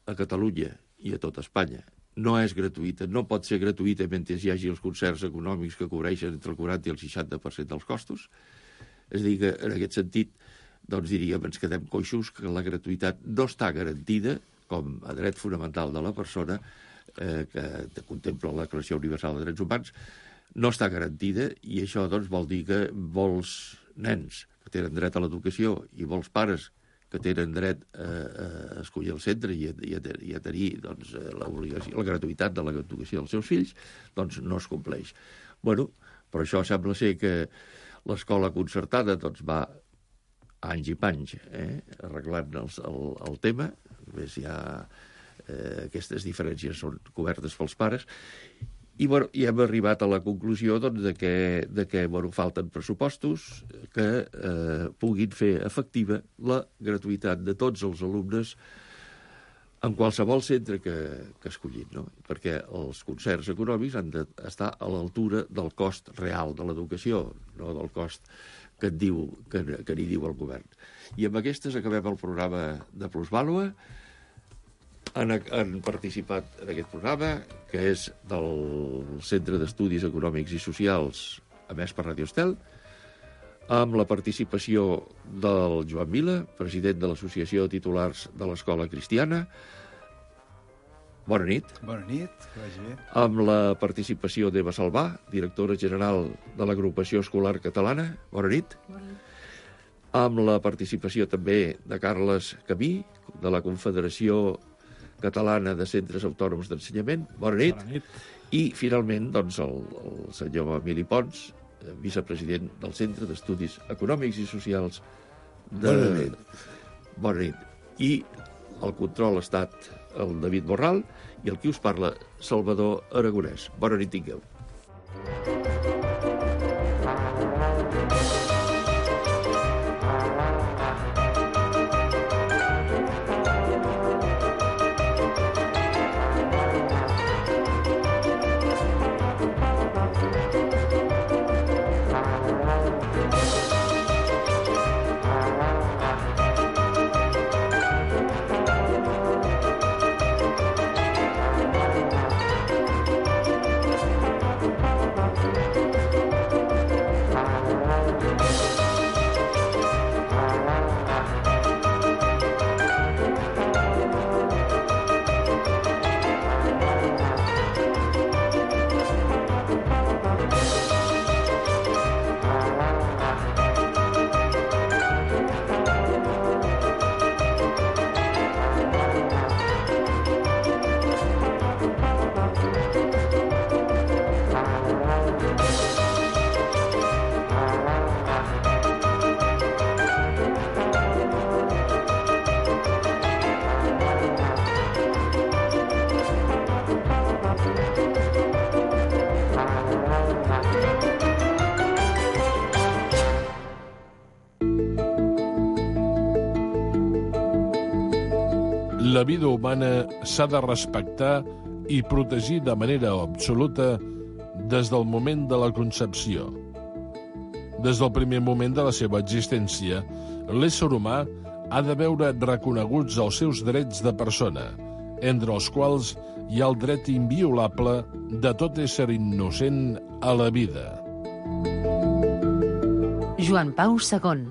[SPEAKER 9] a Catalunya i a tot Espanya no és gratuïta, no pot ser gratuïta mentre hi hagi els concerts econòmics que cobreixen entre el quaranta i el seixanta per cent dels costos. És a dir, que en aquest sentit, doncs diríem, ens quedem coixos, que la gratuïtat no està garantida com a dret fonamental de la persona, eh, que contempla la Declaració Universal de Drets Humans, no està garantida, i això doncs, vol dir que molts nens que tenen dret a l'educació i molts pares que tenen dret a, a escollir el centre i a, i a, i a tenir doncs, l'obligació, la gratuïtat de l'educació dels seus fills, doncs no es compleix. Bueno, però això sembla ser que l'escola concertada doncs, va anys i panys eh, arreglant el, el, el tema. A més, ja eh, aquestes diferències són cobertes pels pares. I, bueno, i hem arribat a la conclusió doncs, de que, de que bueno, falten pressupostos que eh, puguin fer efectiva la gratuïtat de tots els alumnes en qualsevol centre que, que escollim, no? Perquè els concerts econòmics han d'estar a l'altura del cost real de l'educació, no del cost que et diu, que, que n'hi diu el govern. I amb aquestes acabem el programa de Plusvàlua. Han, han participat en aquest programa, que és del Centre d'Estudis Econòmics i Socials, emès per Radio Estel, amb la participació del Joan Vila, president de l'Associació de Titulars de l'Escola Cristiana. Bona nit.
[SPEAKER 10] Bona nit, que vagi bé.
[SPEAKER 9] Amb la participació d'Eva Salvà, directora general de l'Agrupació Escolar Catalana. Bona nit.
[SPEAKER 11] Bona nit.
[SPEAKER 9] Amb la participació també de Carles Camí, de la Confederació Catalana de Centres Autònoms d'Ensenyament. Bona nit.
[SPEAKER 14] Bona nit.
[SPEAKER 9] I, finalment, doncs, el, el senyor Emili Pons, vicepresident del Centre d'Estudis Econòmics i Socials de...
[SPEAKER 13] Bona nit.
[SPEAKER 9] Bona nit. I el control ha estat el David Borral i el qui us parla, Salvador Aragonès. Bona nit tingueu.
[SPEAKER 15] La vida humana s'ha de respectar i protegir de manera absoluta des del moment de la concepció. Des del primer moment de la seva existència, l'ésser humà ha de veure reconeguts els seus drets de persona, entre els quals hi ha el dret inviolable de tot ésser innocent a la vida.
[SPEAKER 6] Joan Pau segon.